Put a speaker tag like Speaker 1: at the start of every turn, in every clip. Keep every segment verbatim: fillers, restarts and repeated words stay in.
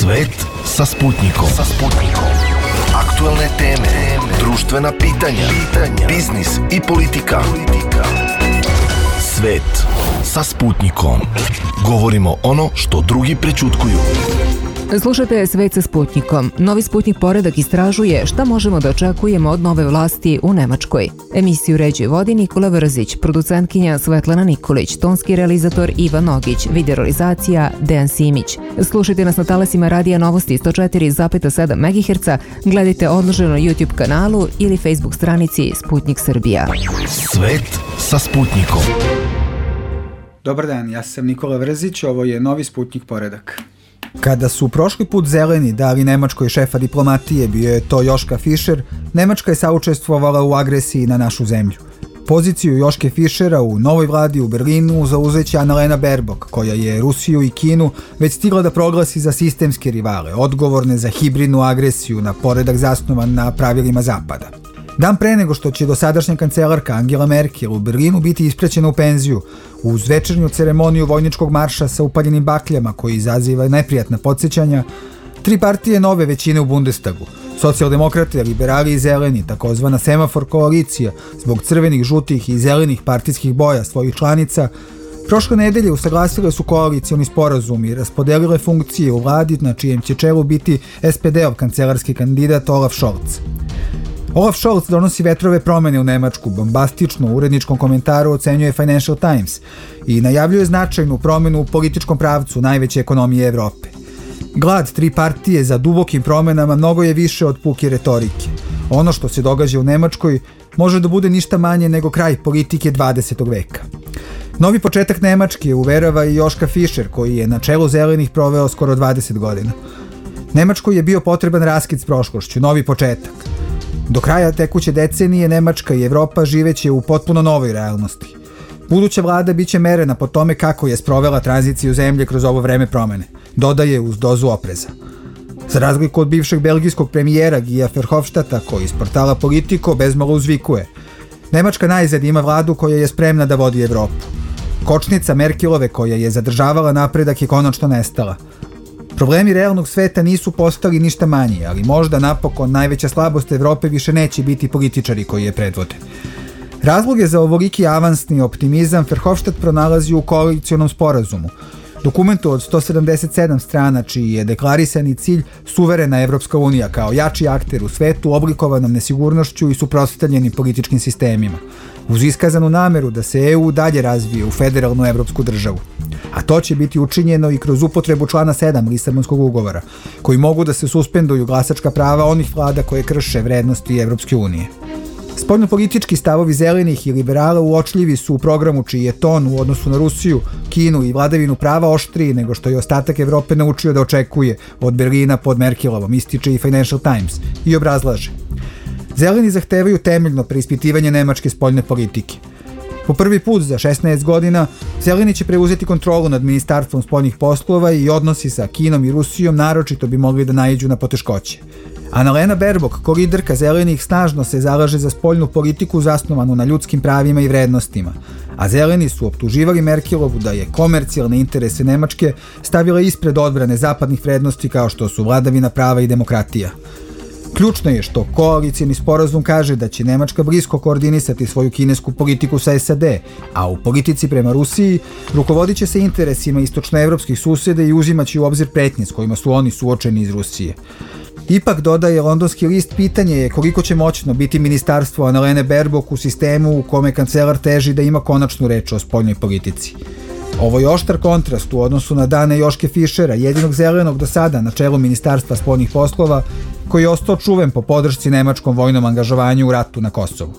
Speaker 1: Svet sa Sputnikom. Sa Sputnikom. Aktuelne teme, društvena pitanja, pitanja, biznis i politika. politika. Svet sa Sputnikom. Govorimo ono što drugi prećutkuju.
Speaker 2: Slušajte Svet sa Sputnikom. Novi Sputnik poredak istražuje šta možemo da očekujemo od nove vlasti u Nemačkoj. Emisiju ređuje vodi Nikola Vrzić, producentkinja Svetlana Nikolić, tonski realizator Ivan Nogić, videorealizacija Dejan Simić. Slušajte nas na talasima Radija Novosti sto četiri zarez sedam megaherca, gledajte odloženo na YouTube kanalu ili Facebook stranici Sputnik Srbija.
Speaker 1: Svet sa Sputnikom.
Speaker 3: Dobar dan, ja sam Nikola Vrzić, ovo je Novi Sputnik poredak. Kada su prošli put zeleni dali Nemačkoj šefa diplomatije, bio je to Joška Fischer, Nemačka je saučestvovala u agresiji na našu zemlju. Poziciju Joške Fischera u novoj vladi u Berlinu zauzeće Annalena Baerbock, koja je Rusiju i Kinu već stigla da proglasi za sistemske rivale, odgovorne za hibridnu agresiju na poredak zasnovan na pravilima Zapada. Dan pre nego što će dosadašnja kancelarka Angela Merkel u Berlinu biti ispraćena u penziju, uz večernju ceremoniju vojničkog marša sa upaljenim bakljama koji izaziva neprijatna podsjećanja, tri partije nove većine u Bundestagu, socijaldemokrate, liberali i zeleni, takozvana semafor koalicija, zbog crvenih, žutih i zelenih partijskih boja svojih članica, prošle nedelje usaglasile su koalicioni sporazum i raspodelile funkcije u vladi na čijem će čelu biti es pe de-ov kancelarski kandidat Olaf Scholz. Olaf Scholz donosi vetrove promene u Nemačku, bombastično u uredničkom komentaru ocenjuje Financial Times i najavljuje značajnu promenu u političkom pravcu najveće ekonomije Evrope. Glad tri partije za dubokim promenama mnogo je više od puke retorike. Ono što se događa u Nemačkoj može da bude ništa manje nego kraj politike dvadesetog veka. Novi početak Nemačke uverava i Joška Fischer, koji je na čelu zelenih proveo skoro dvadeset godina. Nemačkoj je bio potreban raskid s prošlošću, novi početak. Do kraja tekuće decenije Nemačka i Evropa živeće u potpuno novoj realnosti. Buduća vlada biće merena po tome kako je sprovela tranziciju zemlje kroz ovo vreme promene, dodaje uz dozu opreza. Za razliku od bivšeg belgijskog premijera Guya Verhofstadta, koji iz portala Politico bezmalo uzvikuje: Nemačka najzad ima vladu koja je spremna da vodi Evropu. Kočnica Merkelove koja je zadržavala napredak je konačno nestala. Problemi realnog sveta nisu postali ništa manji, ali možda napokon najveća slabost Evrope više neće biti političari koji je predvode. Razloge za ovoliki avansni optimizam Verhofstadt pronalazi u koalicionom sporazumu, dokumentu od sto sedamdeset sedam strana čiji je deklarisani cilj suverena Evropska unija kao jači akter u svetu oblikovanom nesigurnošću i suprotstavljenim političkim sistemima, uz iskazanu nameru da se e u dalje razvije u federalnu evropsku državu. A to će biti učinjeno i kroz upotrebu člana sedam Lisabonskog ugovora, koji mogu da se suspenduju glasačka prava onih vlada koje krše vrednosti Evropske unije. Spoljnopolitički stavovi zelenih i liberala uočljivi su u programu čiji je ton u odnosu na Rusiju, Kinu i vladavinu prava oštriji nego što je ostatak Evrope naučio da očekuje od Berlina pod Merkelovom, ističe i Financial Times, i obrazlaže. Zeleni zahtevaju temeljno preispitivanje nemačke spoljne politike. Po prvi put za šesnaest godina zeleni će preuzeti kontrolu nad Ministarstvom spoljnih poslova i odnosi sa Kinom i Rusijom naročito bi mogli da naiđu na poteškoće. Annalena Baerbock, ko liderka zelenih, snažno se zalaže za spoljnu politiku zasnovanu na ljudskim pravima i vrednostima, a zeleni su optuživali Merkelovu da je komercijalne interese Nemačke stavila ispred odbrane zapadnih vrednosti kao što su vladavina prava i demokratija. Ključno je što koalicijni sporazum kaže da će Nemačka blisko koordinisati svoju kinesku politiku sa es a de, a u politici prema Rusiji rukovodit će se interesima istočnoevropskih susjeda i uzimaće u obzir pretnje s kojima su oni suočeni iz Rusije. Ipak, dodaje londonski list, pitanje je koliko će moćno biti ministarstvo Annalene Baerbock u sistemu u kome kancelar teži da ima konačnu reč o spoljnoj politici. Ovo je oštar kontrast u odnosu na dane Joške Fischera, jedinog zelenog do sada na čelu Ministarstva spoljnih poslova, koji je ostao čuven po podršci nemačkom vojnom angažovanju u ratu na Kosovu.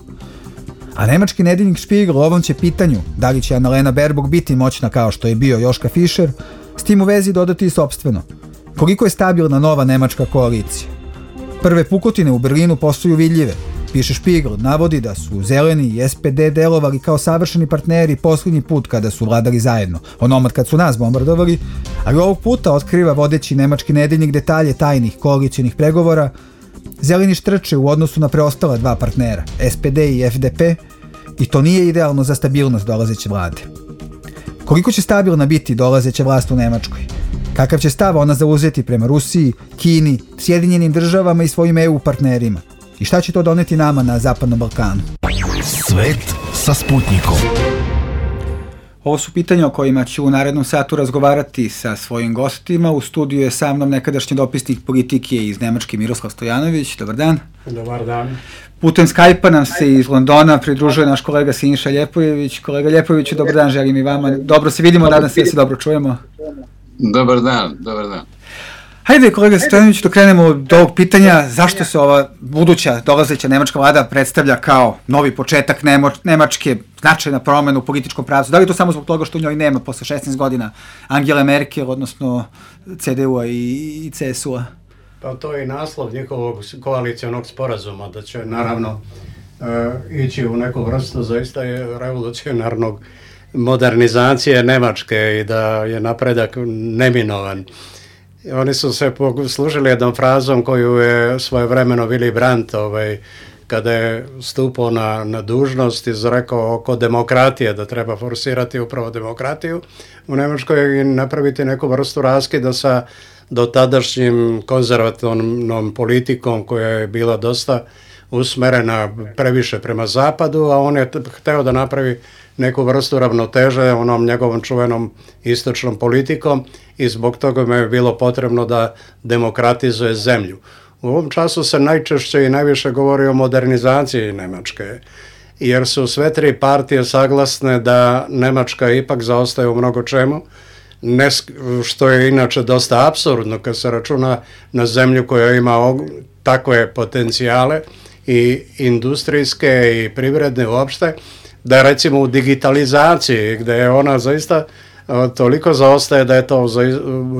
Speaker 3: A nemački nedeljnik Spiegel ovom će pitanju, da li će Annalena Baerbock biti moćna kao što je bio Joška Fischer, s tim u vezi dodati i sopstveno. Koliko je stabilna nova nemačka koalicija? Prve pukotine u Berlinu postaju vidljive. Piše Spiegel, navodi da su zeleni i es pe de delovali kao savršeni partneri posljednji put kada su vladali zajedno, onomad kad su nas bombardovali, ali ovog puta otkriva vodeći nemački nedeljnik detalje tajnih koalicijonih pregovora. Zeleni štrče u odnosu na preostala dva partnera, es pe de i ef de pe, i to nije idealno za stabilnost dolazeće vlade. Koliko će stabilna biti dolazeća vlast u Nemačkoj? Kakav će stav ona zauzeti prema Rusiji, Kini, Sjedinjenim državama i svojim E U partnerima? I šta će to doneti nama na Zapadnom Balkanu?
Speaker 1: Svet sa Sputnikom.
Speaker 3: Ovo su pitanja o kojima ću u narednom satu razgovarati sa svojim gostima. U studiju je sa mnom nekadašnji dopisnik politike iz Nemačke Miroslav Stojanović. Dobar dan.
Speaker 4: Dobar dan.
Speaker 3: Putem Skype-a nam se iz Londona pridružuje naš kolega Siniša Ljepojević. Kolega Ljepojeviću, dobar dan, želim i vama. Dobro se vidimo, nadam se da se dobro čujemo.
Speaker 4: Dobar dan, dobar dan.
Speaker 3: Hajde, kolega Stojanović, da krenemo od ovog pitanja. Zašto se ova buduća, dolazeća nemačka vlada predstavlja kao novi početak Nemo, Nemačke, značajna promena u političkom pravcu? Da li je to samo zbog toga što u njoj nema posle šesnaest godina Angele Merkel, odnosno C D U-a i, i C S U-a?
Speaker 4: Pa to je i naslov njihovog koalicijonog sporazuma, da će naravno e, ići u neku vrstu zaista je revolucionarnog modernizacije Nemačke i da je napredak neminovan. Oni su se poslužili jednom frazom koju je svojevremeno Willy Brandt ovaj, kada je stupao na, na dužnost izrekao oko demokratije, da treba forsirati upravo demokratiju u Nemačkoj i napraviti neku vrstu raskida sa dotadašnjim konzervativnom politikom koja je bila dosta usmerena previše prema zapadu, a on je hteo da napravi neku vrstu ravnoteže onom njegovom čuvenom istočnom politikom i zbog toga mu je bilo potrebno da demokratizuje zemlju. U ovom času se najčešće i najviše govori o modernizaciji Nemačke, jer su sve tri partije saglasne da Nemačka ipak zaostaje u mnogo čemu, ne, što je inače dosta apsurdno kad se računa na zemlju koja ima takve potencijale i industrijske i privredne uopšte, da recimo u digitalizaciji gdje je ona zaista toliko zaostaje da je to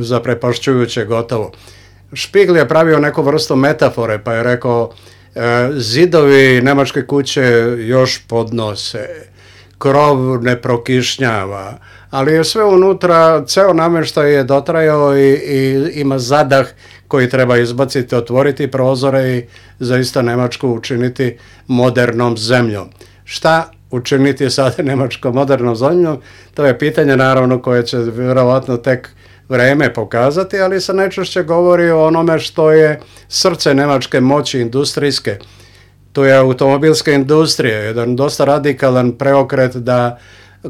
Speaker 4: zaprepašćujuće gotovo. Špigl je pravio neku vrstu metafore pa je rekao zidovi nemačke kuće još podnose, krov ne prokišnjava, ali je sve unutra, ceo namještaj je dotrajao i, i ima zadah koji treba izbaciti, otvoriti prozore i zaista Nemačku učiniti modernom zemljom. Šta učiniti sada Nemačkom modernom zemljom? To je pitanje naravno koje će vjerovatno tek vreme pokazati, ali se najčešće govori o onome što je srce nemačke moći industrijske. To je automobilska industrija, jedan dosta radikalan preokret da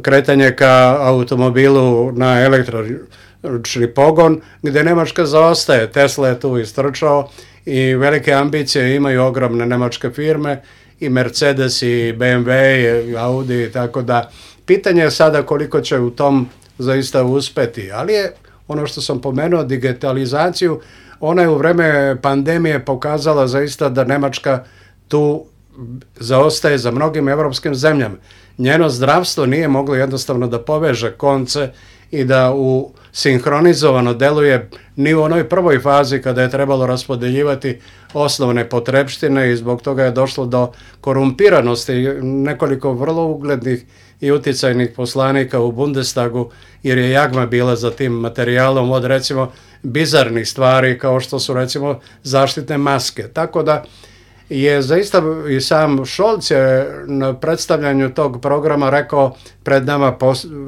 Speaker 4: kretanje ka automobilu na električni pogon, gdje Nemačka zaostaje. Tesla je tu istrčao i velike ambicije imaju ogromne nemačke firme, i Mercedes, i B M W, i Audi, tako da pitanje je sada koliko će u tom zaista uspeti, ali je ono što sam pomenuo, digitalizaciju, ona je u vreme pandemije pokazala zaista da Nemačka tu zaostaje za mnogim evropskim zemljama. Njeno zdravstvo nije moglo jednostavno da poveže konce i da u sinhronizovano deluje ni u onoj prvoj fazi kada je trebalo raspodeljivati osnovne potrepštine i zbog toga je došlo do korumpiranosti nekoliko vrlo uglednih i uticajnih poslanika u Bundestagu, jer je jagma bila za tim materijalom od recimo bizarnih stvari kao što su recimo zaštitne maske. Tako da je zaista i sam Scholz je na predstavljanju tog programa rekao pred nama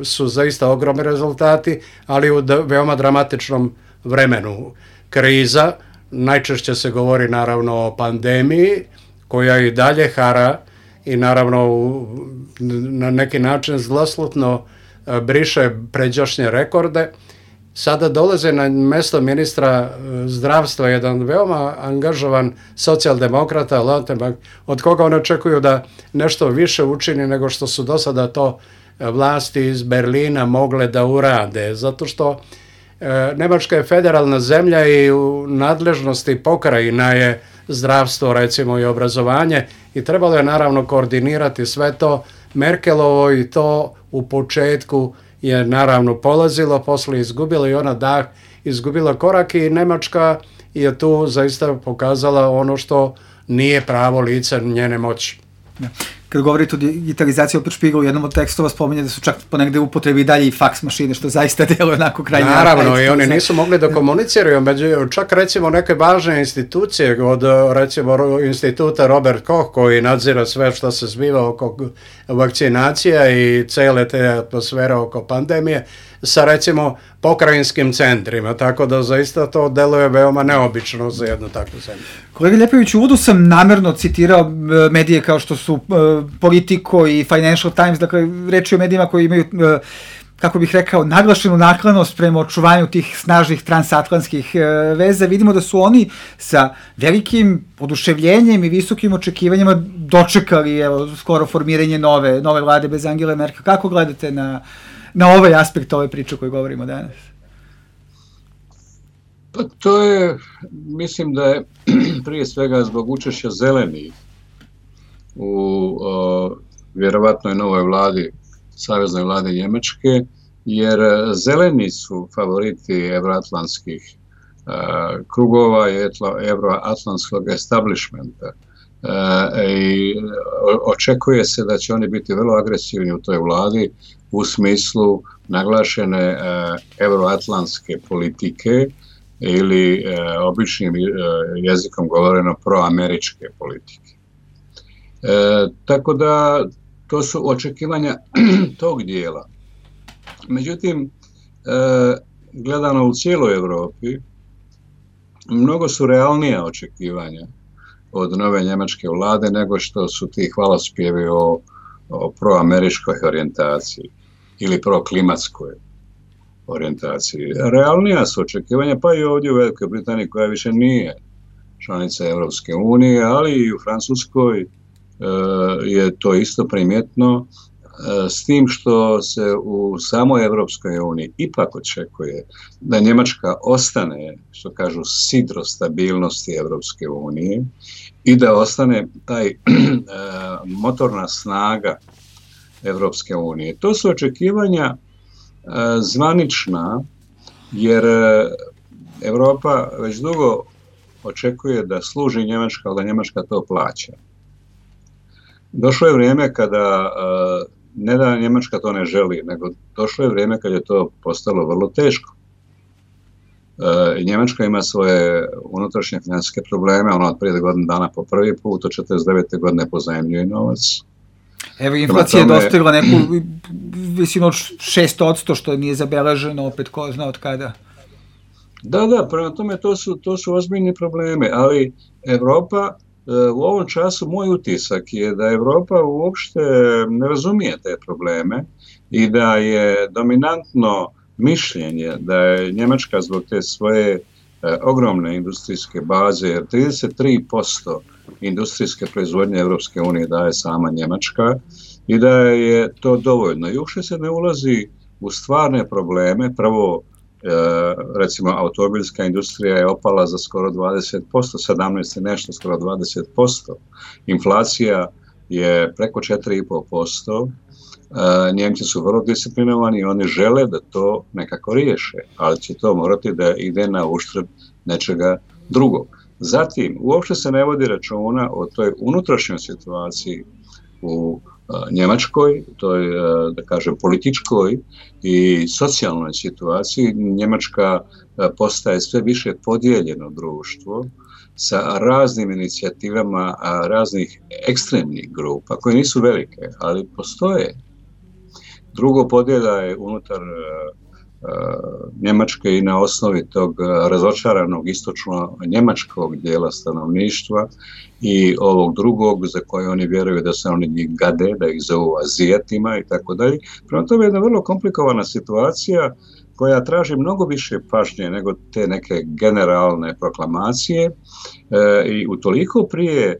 Speaker 4: su zaista ogromni rezultati, ali u veoma dramatičnom vremenu. Kriza, najčešće se govori naravno o pandemiji koja i dalje hara i naravno u, na neki način zloslutno briše pređašnje rekorde. Sada dolaze na mesto ministra zdravstva jedan veoma angažovan socijaldemokrata, Lautenbach, od koga on očekuju da nešto više učini nego što su do sada to vlasti iz Berlina mogle da urade, zato što e, Nemačka je federalna zemlja i u nadležnosti pokrajina je zdravstvo recimo i obrazovanje i trebalo je naravno koordinirati sve to. Merkelovo i to u početku je naravno polazilo, posle izgubila i ona dah, izgubila korak i Nemačka je tu zaista pokazala ono što nije pravo lice njene moći.
Speaker 3: kad govorite o digitalizaciji, opet Špigl u jednom od tekstova spominje da su čak ponegde upotrebi dalje i faks mašine, što zaista deluje onako krajnje.
Speaker 4: Naravno, i oni nisu mogli da komuniciraju, među, čak recimo neke važne institucije, od recimo instituta Robert Koch, koji nadzira sve što se zbiva oko vakcinacija i cele te atmosfere oko pandemije, sa recimo pokrajinskim centrima, tako da zaista to deluje veoma neobično za jednu takvu zemlju.
Speaker 3: Kolega Ljepović, u uvodu sam namerno citirao medije kao što su uh, Politico i Financial Times, dakle reč je o medijima koji imaju, uh, kako bih rekao, naglašenu naklonost prema očuvanju tih snažnih transatlantskih uh, veza. Vidimo da su oni sa velikim oduševljenjem i visokim očekivanjima dočekali, evo, skoro formiranje nove, nove vlade bez Angele Merkel. Kako gledate na na ovaj aspekt ove priče koju govorimo danas?
Speaker 5: Pa to je, mislim da je prije svega zbog učešća zelenih u o, vjerovatnoj novoj vladi, saveznoj vladi Njemačke, jer zeleni su favoriti evroatlantskih a, krugova i evroatlantskog establishmenta. E, i očekuje se da će oni biti vrlo agresivni u toj vladi u smislu naglašene e, evroatlantske politike ili e, običnim e, jezikom govoreno proameričke politike. E, tako da to su očekivanja tog dijela. Međutim, e, gledano u cijeloj Europi, mnogo su realnija očekivanja od nove njemačke vlade nego što su ti hvalospjevi o, o proameričkoj orijentaciji ili proklimatskoj orijentaciji. Realnija su očekivanja, pa i ovdje u Velikoj Britaniji, koja više nije članica Europske unije, ali i u Francuskoj e, je to isto primjetno, e, s tim što se u samoj Europskoj uniji ipak očekuje da Njemačka ostane, što kažu, sidro stabilnosti Europske unije i da ostane taj e, motorna snaga Europske unije. To su očekivanja e, zvanična, jer Europa već dugo očekuje da služi Njemačka, ali da Njemačka to plaća. Došlo je vrijeme kada, e, ne da Njemačka to ne želi, nego došlo je vrijeme kad je to postalo vrlo teško. E, Njemačka ima svoje unutrašnje financijske probleme, ona od prije godinu dana po prvi put, od četrdeset devete godine pozajmljuje novac.
Speaker 3: Evo, inflacija tome... je dostigla neku visinu od šest posto, što nije zabeleženo, opet ko zna od kada.
Speaker 5: Da, da, prema tome to su, to su ozbiljni probleme, ali Europa, u ovom času moj utisak je da Europa uopšte ne razumije te probleme i da je dominantno mišljenje da je Njemačka zbog te svoje e, ogromne industrijske baze, jer trideset tri posto industrijske proizvodnje Europske unije daje sama Njemačka i da je to dovoljno. I uopšte se ne ulazi u stvarne probleme. Prvo, e, recimo, automobilska industrija je opala za skoro dvadeset posto, sedamnaest i nešto, skoro dvadeset posto. Inflacija je preko četiri i pol posto. Uh, Njemci su vrlo disciplinovani i oni žele da to nekako riješe, ali će to morati da ide na uštrb nečega drugog. Zatim, uopšte se ne vodi računa o toj unutrašnjoj situaciji u uh, Njemačkoj, toj, uh, da kažem, političkoj i socijalnoj situaciji. Njemačka uh, postaje sve više podijeljeno društvo sa raznim inicijativama a, raznih ekstremnih grupa, koje nisu velike, ali postoje. Drugo, podjela je unutar uh, uh, Njemačke i na osnovi tog razočaranog istočno-njemačkog dijela stanovništva i ovog drugog za koje oni vjeruju da se oni njih gade, da ih zovu Azijatima i tako dalje. Prema tome je jedna vrlo komplikovana situacija koja traži mnogo više pažnje nego te neke generalne proklamacije e, i utoliko prije e,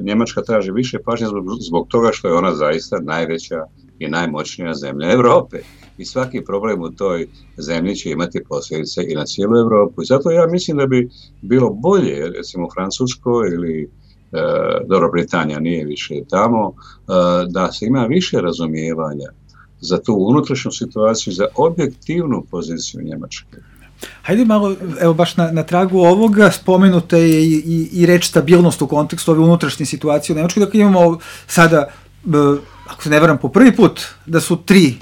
Speaker 5: Njemačka traži više pažnje zbog, zbog toga što je ona zaista najveća i najmoćnija zemlja Europe. I svaki problem u toj zemlji će imati posljedice i na cijelu Europu. I zato ja mislim da bi bilo bolje, recimo u Francuskoj ili e, dobro, Britanija nije više tamo, e, da se ima više razumijevanja za tu unutrašnju situaciju, za objektivnu poziciju Njemačke.
Speaker 3: Hajde malo, evo baš na, na tragu ovoga, spomenuta je i, i, i reč stabilnost u kontekstu ove unutrašnje situacije u Nemačkoj. Dakle, imamo sada, ako se ne varam, po prvi put da su tri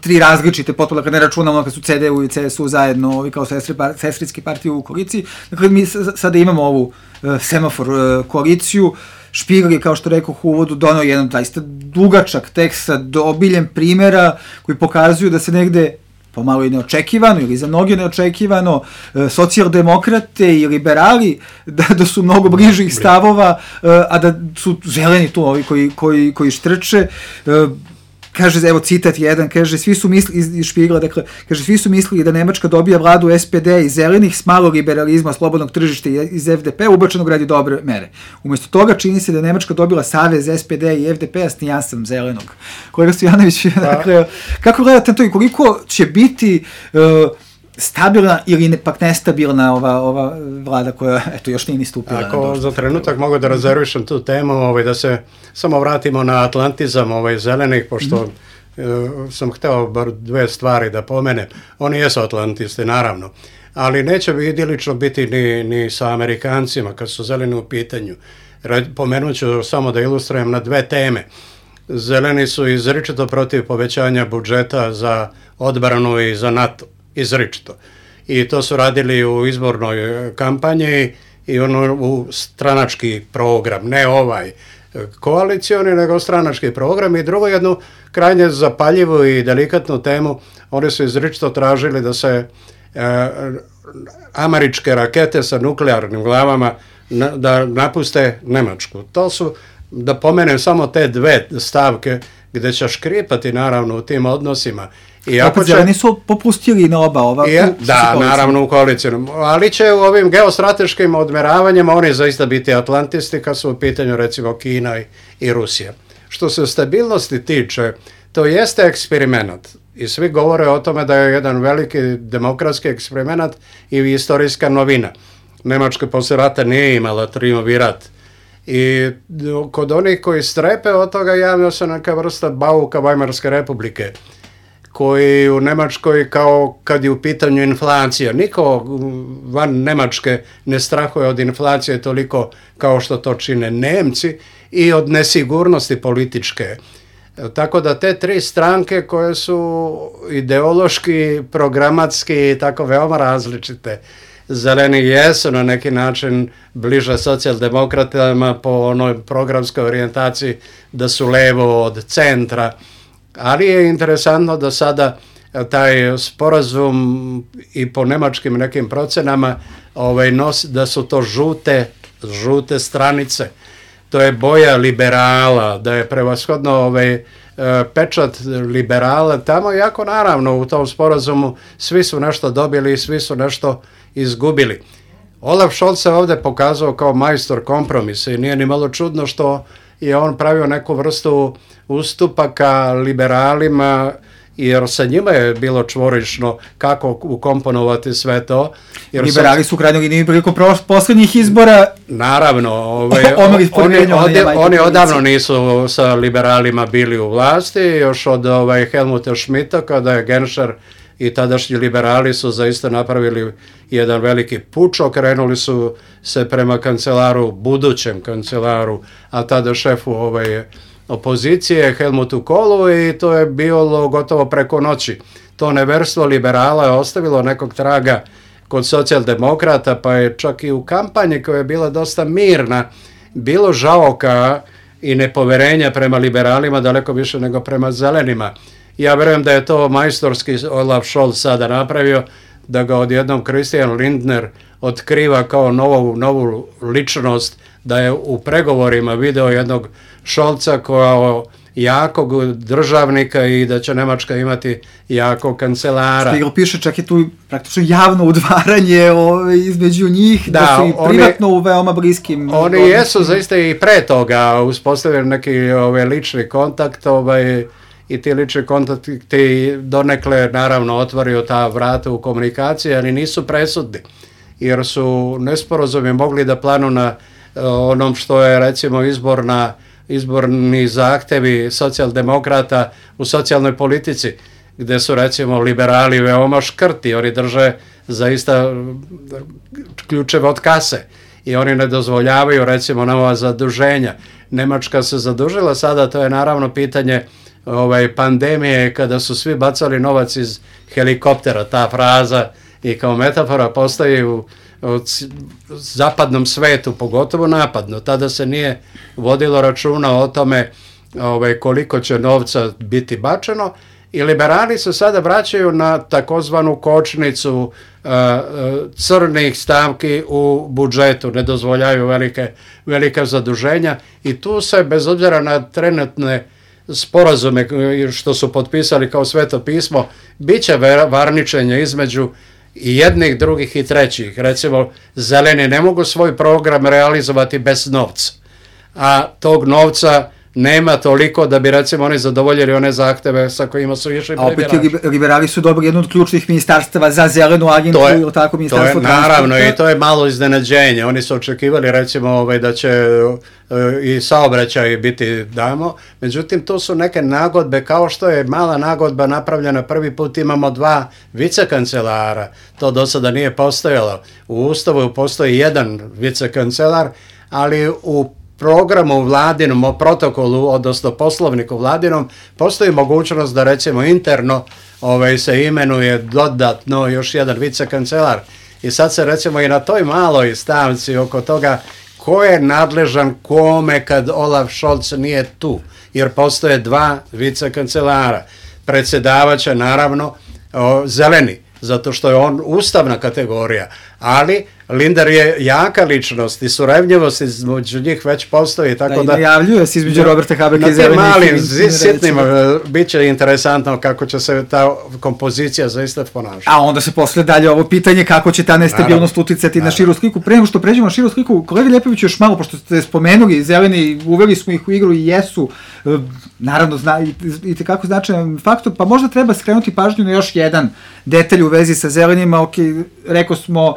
Speaker 3: tri različite potpuno, kad ne računamo kad su C D U i C S U zajedno ovi kao sestri, sestrinski partije u koaliciji. Dakle, mi sada imamo ovu uh, semafor uh, koaliciju. Špigel je, kao što rekao u uvodu, donao jedan zaista dugačak tekst sa obiljem primjera koji pokazuju da se negde pomalo i neočekivano ili za mnoge neočekivano uh, socijaldemokrate i liberali da, da su mnogo bližih stavova, uh, a da su zeleni tu ovi koji, koji, koji štrče. Uh, Kaže, evo citat jedan, kaže, svi su mislili, iz Špigla, dakle, kaže, svi su mislili da Nemačka dobija vladu S P D i zelenih s malo liberalizma, slobodnog tržišta iz F D P, ubačenog radi dobre mere. Umjesto toga čini se da je Nemačka dobila savez S P D i F D P-a s nijansom zelenog. Kolega Stojanović, dakle, kako gledate to i koliko će biti uh, stabilna ili ne, pak nestabilna ova, ova vlada koja, eto, još nije ni stupila.
Speaker 4: Ako za trenutak mogu da rezervišem tu temu, ovaj, da se samo vratimo na atlantizam ovaj, zelenih, pošto mm-hmm. uh, sam hteo bar dve stvari da pomenem. Oni jesu atlantisti, naravno, ali neće bi idilično biti ni, ni sa Amerikancima kad su zeleni u pitanju. Pomenut ću samo da ilustrujem na dve teme. Zeleni su izričito protiv povećanja budžeta za odbranu i za NATO. Izričito. I to su radili u izbornoj kampanji i ono u stranački program, ne ovaj koalicioni, nego stranački program. I drugo, jednu krajnje zapaljivu i delikatnu temu, oni su izričito tražili da se e, američke rakete sa nuklearnim glavama na, da napuste Nemačku. To su, da pomenem samo te dve stavke gdje će škripati naravno u tim odnosima.
Speaker 3: Iako će, zeleni su popustili na oba ova.
Speaker 4: I, da, naravno u koalicijnom. Ali će u ovim geostrateškim odmeravanjima oni zaista biti atlantisti kad su u pitanju recimo Kina i, i Rusija. Što se stabilnosti tiče, to jeste eksperiment. I svi govore o tome da je jedan veliki demokratski eksperiment i istorijska novina. Nemačka poslije rata nije imala triumvirat. I kod onih koji strepe od toga javio se neka vrsta bauka Weimarske republike, koji u Nemačkoj, kao kad je u pitanju inflacija, niko van Nemačke ne strahuje od inflacije toliko kao što to čine Nemci i od nesigurnosti političke. Tako da te tri stranke koje su ideološki, programatski i tako veoma različite, zeleni jesu na neki način bliže socijaldemokratama po onoj programskoj orijentaciji da su levo od centra. Ali je interesantno da sada taj sporazum i po nemačkim nekim procenama ovaj, nosi, da su to žute, žute stranice. To je boja liberala, da je prevashodno ovaj, pečat liberala tamo, iako naravno u tom sporazumu svi su nešto dobili i svi su nešto izgubili. Olaf Scholz se ovdje pokazao kao majstor kompromisa i nije ni malo čudno što je on pravio neku vrstu ustupaka liberalima, jer sa njima je bilo čvorično kako ukomponovati sve to. Jer
Speaker 3: liberali su u krajnjoj liniji prilikom posljednjih izbora.
Speaker 4: Naravno, ovaj, oni, oni, oni odavno nisu sa liberalima bili u vlasti, još od ovaj, Helmuta Schmidta, kada je Genscher i tadašnji liberali su zaista napravili jedan veliki puč, okrenuli su se prema kancelaru, budućem kancelaru, a tada šefu ovaj, opozicije, Helmutu Kohlu, i to je bilo gotovo preko noći. To neverstvo liberala je ostavilo nekog traga kod socijaldemokrata, pa je čak i u kampanji koja je bila dosta mirna, bilo žaoka i nepoverenja prema liberalima daleko više nego prema zelenima. Ja vjerujem da je to majstorski Olaf Scholz sada napravio, da ga odjednom Christian Lindner otkriva kao novu, novu ličnost, da je u pregovorima video jednog Scholza kao jakog državnika i da će Nemačka imati jakog kancelara.
Speaker 3: Špigel piše, čak je tu praktično javno udvaranje ove, između njih, da, da su i oni, privatno u veoma bliskim...
Speaker 4: Oni odnosima. Jesu zaista i pre toga uspostavili neki ove, lični kontakt, ovaj, i ti lični kontakti donekle naravno otvorio ta vrata u komunikaciji, ali nisu presudni, jer su nesporazumi mogli da planu na uh, onom što je recimo izborna, izborni zahtevi socijaldemokrata u socijalnoj politici, gde su recimo liberali veoma škrti, oni drže zaista ključeve od kase i oni ne dozvoljavaju recimo nova zaduženja. Nemačka se zadužila sada, to je naravno pitanje ovaj, pandemije kada su svi bacali novac iz helikoptera, ta fraza i kao metafora postoji u, u zapadnom svetu, pogotovo napadno. Tada se nije vodilo računa o tome ovaj, koliko će novca biti bačeno i liberali se sada vraćaju na takozvanu kočnicu uh, crnih stavki u budžetu, ne dozvoljaju velike, velika zaduženja i tu se bez obzira na trenutne sporazume što su potpisali kao Sveto pismo, bit će varničenja između i jednih, drugih i trećih. Recimo, zeleni ne mogu svoj program realizovati bez novca, a tog novca nema toliko da bi recimo oni zadovoljili one zahteve sa kojima su išli
Speaker 3: prebirači. A opet liberali su dobro jedno od ključnih ministarstava za zelenu agentu ili tako ministarstvo
Speaker 4: transporta. Naravno i to je malo iznenađenje. Oni su očekivali recimo ovaj, da će uh, i saobraćaj biti damo. Međutim, tu su neke nagodbe kao što je mala nagodba napravljena prvi put. Imamo dva vicekancelara. To do sada nije postojalo. U Ustavu postoji jedan vicekancelar, ali u programu vladinom, o protokolu, odnosno poslovniku vladinom, postoji mogućnost da recimo interno ovaj, se imenuje dodatno još jedan vicekancelar. I sad se recimo i na toj maloj stavci oko toga ko je nadležan kome kad Olaf Scholz nije tu, jer postoje dva vicekancelara. Predsjedavaće naravno o, zeleni, zato što je on ustavna kategorija, ali Lindner je jaka ličnost i surevnjivost između njih već postoji, tako da...
Speaker 3: Da, i najavljuje se između Roberta Habeka i zelenih.
Speaker 4: Na tim malim, sitnim, bit će interesantno kako će se ta kompozicija zaista ponašati.
Speaker 3: A onda se posle dalje ovo pitanje kako će ta nestabilnost uticati na širu sliku. Pre nego što pređemo na širu sliku, kolega Ljepović još malo, pošto ste spomenuli zeleni, uveli smo ih u igru i jesu, naravno, zna, i, i tekako značajan faktor, pa možda treba skrenuti pažnju na još jedan detalj u vezi sa zelenima. Ok, rekao smo,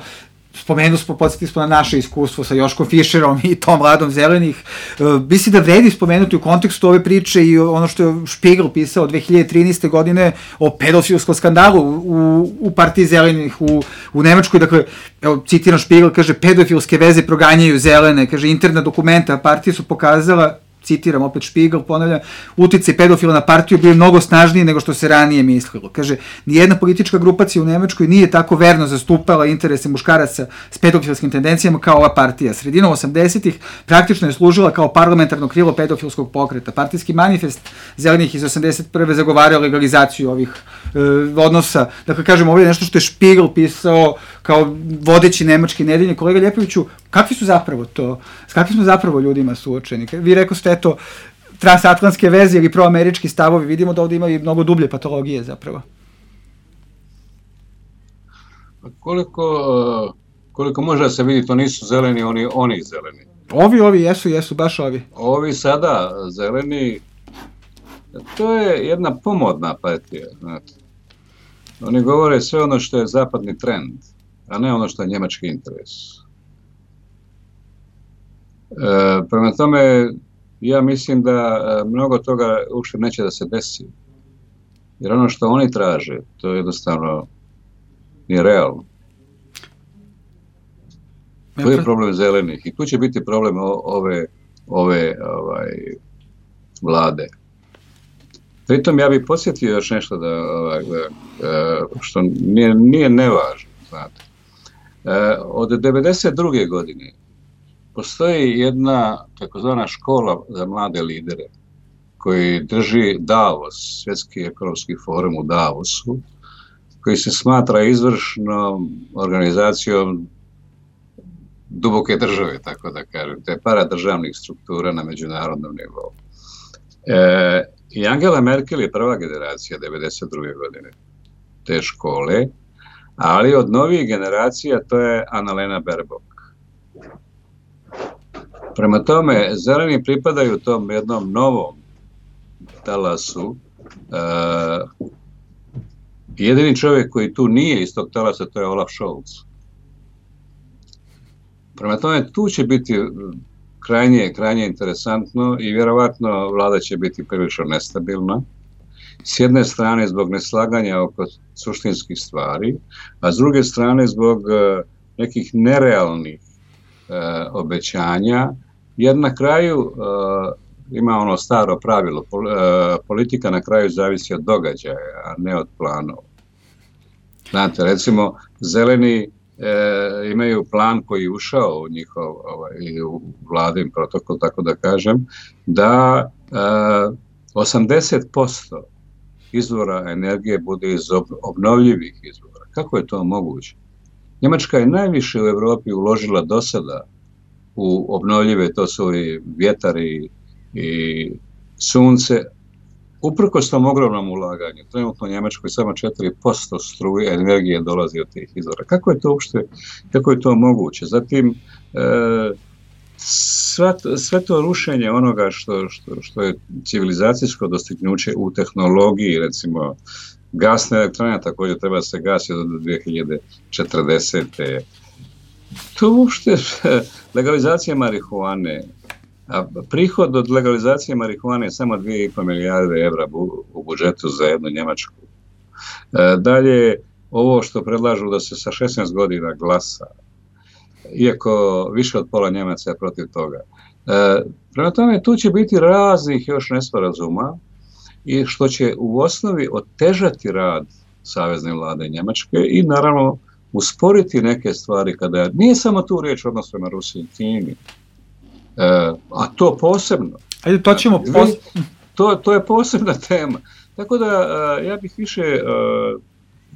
Speaker 3: spomenuli smo, podsjetili smo na naše iskustvo sa Joškom Fischerom i tom Vladom zelenih. E, mislim da vredi spomenuti u kontekstu ove priče i ono što je Spiegel pisao dve hiljade trinaeste. godine o pedofilskom skandalu u, u partiji zelenih u, u Nemačkoj. Dakle, evo, citiram Spiegel, kaže, pedofilske veze proganjaju zelene, kaže, interna dokumenta partije su pokazala, citiram opet Spiegel, ponavljam, uticaj pedofila na partiju bio mnogo snažniji nego što se ranije mislilo. Kaže, nijedna politička grupacija u Nemačkoj nije tako verno zastupala interese muškaraca s pedofilskim tendencijama kao ova partija. Sredinom osamdesetih praktično je služila kao parlamentarno krilo pedofilskog pokreta. Partijski manifest zelenih iz osamdeset prve zagovarao legalizaciju ovih e, odnosa. Dakle, kažem, ovo je nešto što je Spiegel pisao kao vodeći nemački nedeljnik. Kolega Ljepoviću, kakvi su zapravo to, s kakvim smo zapravo ljudima suočeni? Vi rekao ste, eto, transatlantske veze ili proamerički stavovi, vidimo da ovdje ima i mnogo dublje patologije zapravo.
Speaker 5: Koliko, koliko može da se vidi, to nisu zeleni, oni, oni zeleni.
Speaker 3: Ovi, ovi, jesu, jesu, baš ovi.
Speaker 5: Ovi sada zeleni, to je jedna pomodna partija, znate. Oni govore sve ono što je zapadni trend, a ne ono što je njemački interes. E, prema tome, ja mislim da mnogo toga uopšte neće da se desi. Jer ono što oni traže, to jednostavno nije realno. To je problem zelenih i tu će biti problem ove, ove ovaj, vlade. Pritom ja bih podsjetio još nešto da, ovaj, što nije, nije nevažno. Znate. Od devedeset druge. godine postoji jedna takozvana škola za mlade lidere koji drži Davos, svjetski ekonomski forum u Davosu, koji se smatra izvršnom organizacijom duboke države, tako da kažem, te paradržavnih struktura na međunarodnom nivou. E, I Angela Merkel je prva generacija devedeset druge. godine te škole, ali od novih generacija to je Annalena Baerbock. Prema tome, zeleni pripadaju tom jednom novom talasu. E, jedini čovjek koji tu nije iz tog talasa, to je Olaf Scholz. Prema tome, tu će biti krajnje, krajnje interesantno i vjerovatno vlada će biti prilično nestabilna. S jedne strane zbog neslaganja oko suštinskih stvari, a s druge strane zbog nekih nerealnih e, obećanja, jer na kraju e, ima ono staro pravilo, pol, e, politika na kraju zavisi od događaja, a ne od planova. Znate, recimo, zeleni e, imaju plan koji je ušao u njihov, ovaj, u vladin protokol, tako da kažem, da e, osamdeset posto izvora energije bude iz obnovljivih izvora. Kako je to moguće? Njemačka je najviše u Evropi uložila do sada u obnovljive, to su i vjetar i, i sunce, uprkos tom ogromnom ulaganju. Trenutno u Njemačkoj samo četiri posto struje energije dolazi od tih izvora. Kako je to uopšte, kako je to moguće? Zatim, e, Sve, sve to rušenje onoga što, što, što je civilizacijsko dostignuće u tehnologiji, recimo gasne elektrane, također treba se gasiti do dvije hiljade četrdesete. To uopšte legalizacija marihuane, a prihod od legalizacije marihuane je samo dvije i pol milijarde evra u budžetu za jednu Njemačku. Dalje, ovo što predlažu da se sa šesnaest godina glasa, iako više od pola Njemaca je protiv toga. E, prema tome, tu će biti raznih još nesporazuma i što će u osnovi otežati rad savezne vlade Njemačke i naravno usporiti neke stvari kada nije samo tu riječ odnos prema Rusiji i Kini, e, a to posebno.
Speaker 3: Ajde, to ćemo pos...
Speaker 5: to, to je posebna tema. Tako da e, ja bih više e,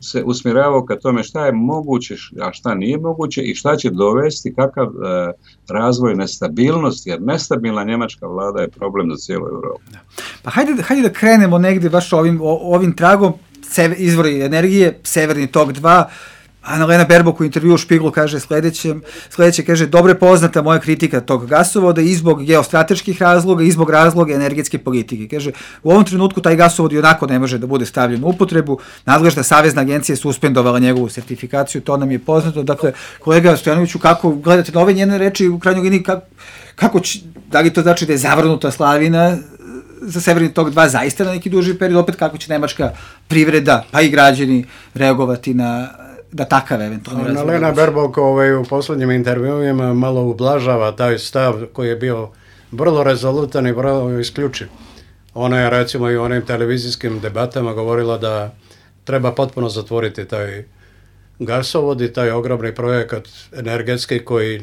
Speaker 5: se usmjeravao ka tome šta je moguće, a šta nije moguće i šta će dovesti, kakav e, razvoj nestabilnosti, jer nestabilna njemačka vlada je problem za cijelu Europu.
Speaker 3: Pa hajde, hajde da krenemo negdje baš ovim, ovim tragom, izvori energije, Severni tok dva, Annalena Baerbock u intervju u Špiglu kaže sljedeće, sljedeće kaže, dobro je poznata moja kritika tog gasovoda i zbog geostrateških razloga i zbog razloga energetske politike. Kaže, u ovom trenutku taj gasovod i onako ne može da bude stavljen u upotrebu, nadležna savezna agencija je suspendovala njegovu sertifikaciju, to nam je poznato. Dakle, kolega Stojanoviću, kako gledate na ove njene reči u krajnjoj liniji, kako, kako će, da li to znači da je zavrnuta slavina za Severni tok dva zaista na neki duži period, opet kako će nemačka privreda, pa i građani reagovati na da takav eventualni razvoj.
Speaker 4: Annalena Baerbock ovaj, u posljednjim intervjuima malo ublažava taj stav koji je bio vrlo rezolutan i vrlo isključiv. Ona je recimo i u onim televizijskim debatama govorila da treba potpuno zatvoriti taj gasovod i taj ogromni projekat energetski koji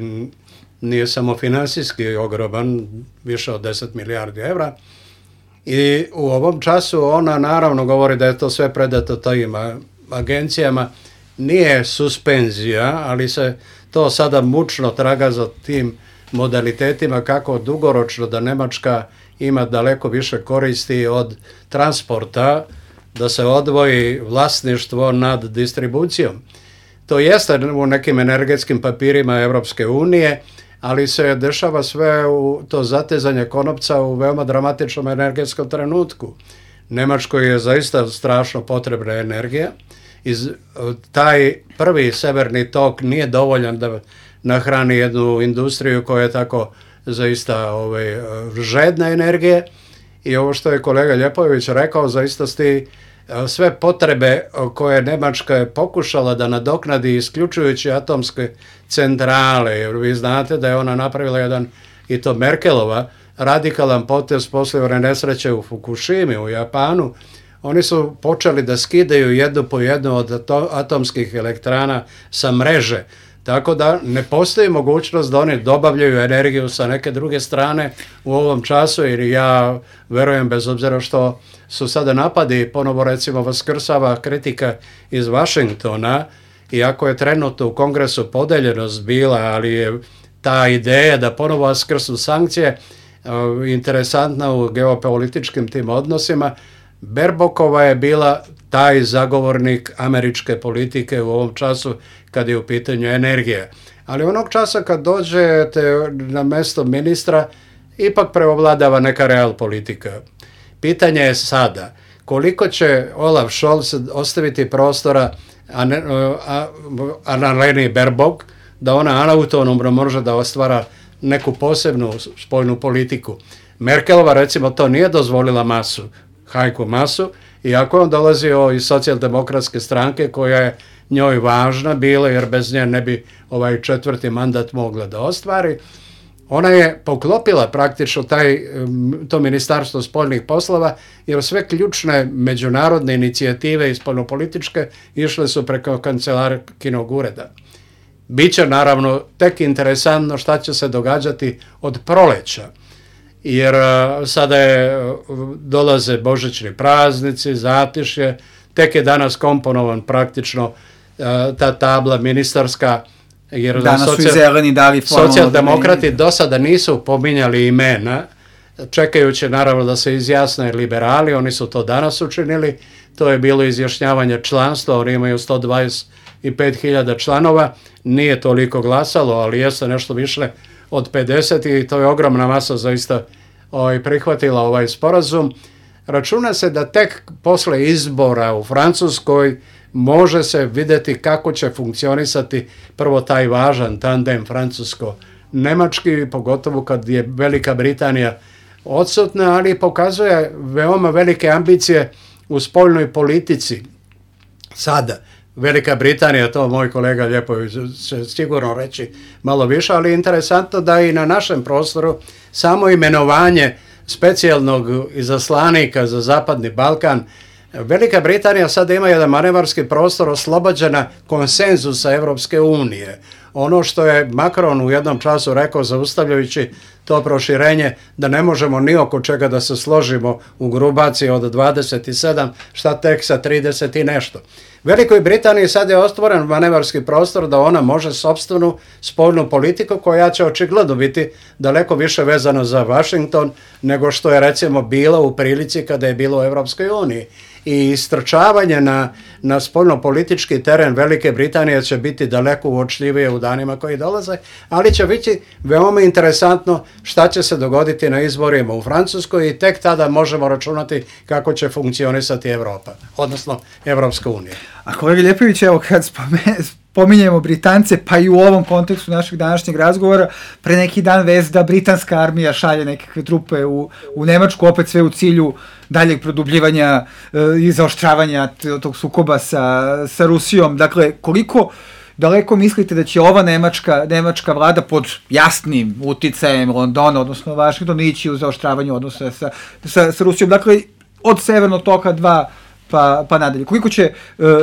Speaker 4: nije samo financijski ogroman, više od deset milijardi evra. I u ovom času ona naravno govori da je to sve predato tajim agencijama. Nije suspenzija, ali se to sada mučno traga za tim modalitetima kako dugoročno da Njemačka ima daleko više koristi od transporta, da se odvoji vlasništvo nad distribucijom. To jeste u nekim energetskim papirima Europske unije, ali se dešava sve u to zatezanje konopca u veoma dramatičnom energetskom trenutku. Njemačkoj je zaista strašno potrebna energija. Iz, taj prvi severni tok nije dovoljan da nahrani jednu industriju koja je tako zaista ovaj, žedna energije i ovo što je kolega Ljepojević rekao, zaista sti sve potrebe koje Njemačka je pokušala da nadoknadi isključujući atomske centrale, jer vi znate da je ona napravila jedan, i to Merkelova, radikalan potez poslije one nesreće u Fukushimi u Japanu. Oni su počeli da skidaju jednu po jednu od atomskih elektrana sa mreže, tako da ne postoji mogućnost da oni dobavljaju energiju sa neke druge strane u ovom času, jer ja verujem, bez obzira što su sada napadi, ponovo recimo vaskrsava kritika iz Vašingtona, iako je trenutno u Kongresu podeljenost bila, ali je ta ideja da ponovo vaskrsnu sankcije uh, interesantna u geopolitičkim tim odnosima. Baerbockova je bila taj zagovornik američke politike u ovom času kad je u pitanju energija. Ali onog časa kad dođete na mjesto ministra, ipak preovladava neka real politika. Pitanje je sada, koliko će Olaf Scholz ostaviti prostora Annaleni Baerbock da ona autonomno može da ostvara neku posebnu spoljnu politiku. Merkelova recimo to nije dozvolila masu, Hajku Masu, Iako je on dolazio iz socijaldemokratske stranke koja je njoj važna bila, jer bez nje ne bi ovaj četvrti mandat mogla da ostvari, ona je poklopila praktično taj, to ministarstvo spoljnih poslova, jer sve ključne međunarodne inicijative i spoljnopolitičke išle su preko kancelarkinog ureda. Biće naravno tek interesantno šta će se događati od proleća, jer sada je, dolaze božićni praznici, zatišje, tek je danas komponovan praktično ta tabla ministarska, jer
Speaker 3: danas
Speaker 4: socijal,
Speaker 3: su i zeleni dali
Speaker 4: socijaldemokrati do sada nisu pominjali imena, čekajući naravno da se izjasne liberali, oni su to danas učinili, to je bilo izjašnjavanje članstva, oni imaju sto dvadeset pet hiljada članova, nije toliko glasalo, ali jeste nešto više od pedeset i to je ogromna masa zaista ovaj, prihvatila ovaj sporazum. Računa se da tek posle izbora u Francuskoj može se vidjeti kako će funkcionisati prvo taj važan tandem francusko-nemački, pogotovo kad je Velika Britanija odsutna, ali pokazuje veoma velike ambicije u spoljnoj politici. Sada, Velika Britanija, to moj kolega Ljepović će sigurno reći malo više, ali je interesantno da i na našem prostoru samo imenovanje specijalnog izaslanika za Zapadni Balkan, Velika Britanija sada ima jedan manevarski prostor oslobođena konsenzusa Evropske unije. Ono što je Macron u jednom času rekao, zaustavljajući to proširenje, da ne možemo ni oko čega da se složimo u grupaciji od dvadeset sedam, šta tek sa trideset i nešto. Velikoj Britaniji sad je ostvoren manevarski prostor da ona može sopstvenu spoljnu politiku koja će očigledno biti daleko više vezana za Washington nego što je recimo bila u prilici kada je bilo u Evropskoj uniji. I istrčavanje na, na spoljno-politički teren Velike Britanije će biti daleko uočljivije u danima koji dolaze, ali će biti veoma interesantno šta će se dogoditi na izborima u Francuskoj i tek tada možemo računati kako će funkcionisati Evropa, odnosno Evropska unija.
Speaker 3: A kolega Ljepović, evo kad spominjemo Britance, pa i u ovom kontekstu našeg današnjeg razgovora, pre neki dan vez da britanska armija šalje nekakve trupe u, u Nemačku, opet sve u cilju daljeg produbljivanja e, i zaoštravanja tog sukoba sa, sa Rusijom. Dakle, koliko daleko mislite da će ova nemačka, nemačka vlada pod jasnim uticajem Londona, odnosno Vašingtona, ići u zaoštravanje odnosa sa, sa, sa Rusijom? Dakle, od Severnog toka dva pa, pa nadalje. Koliko će e,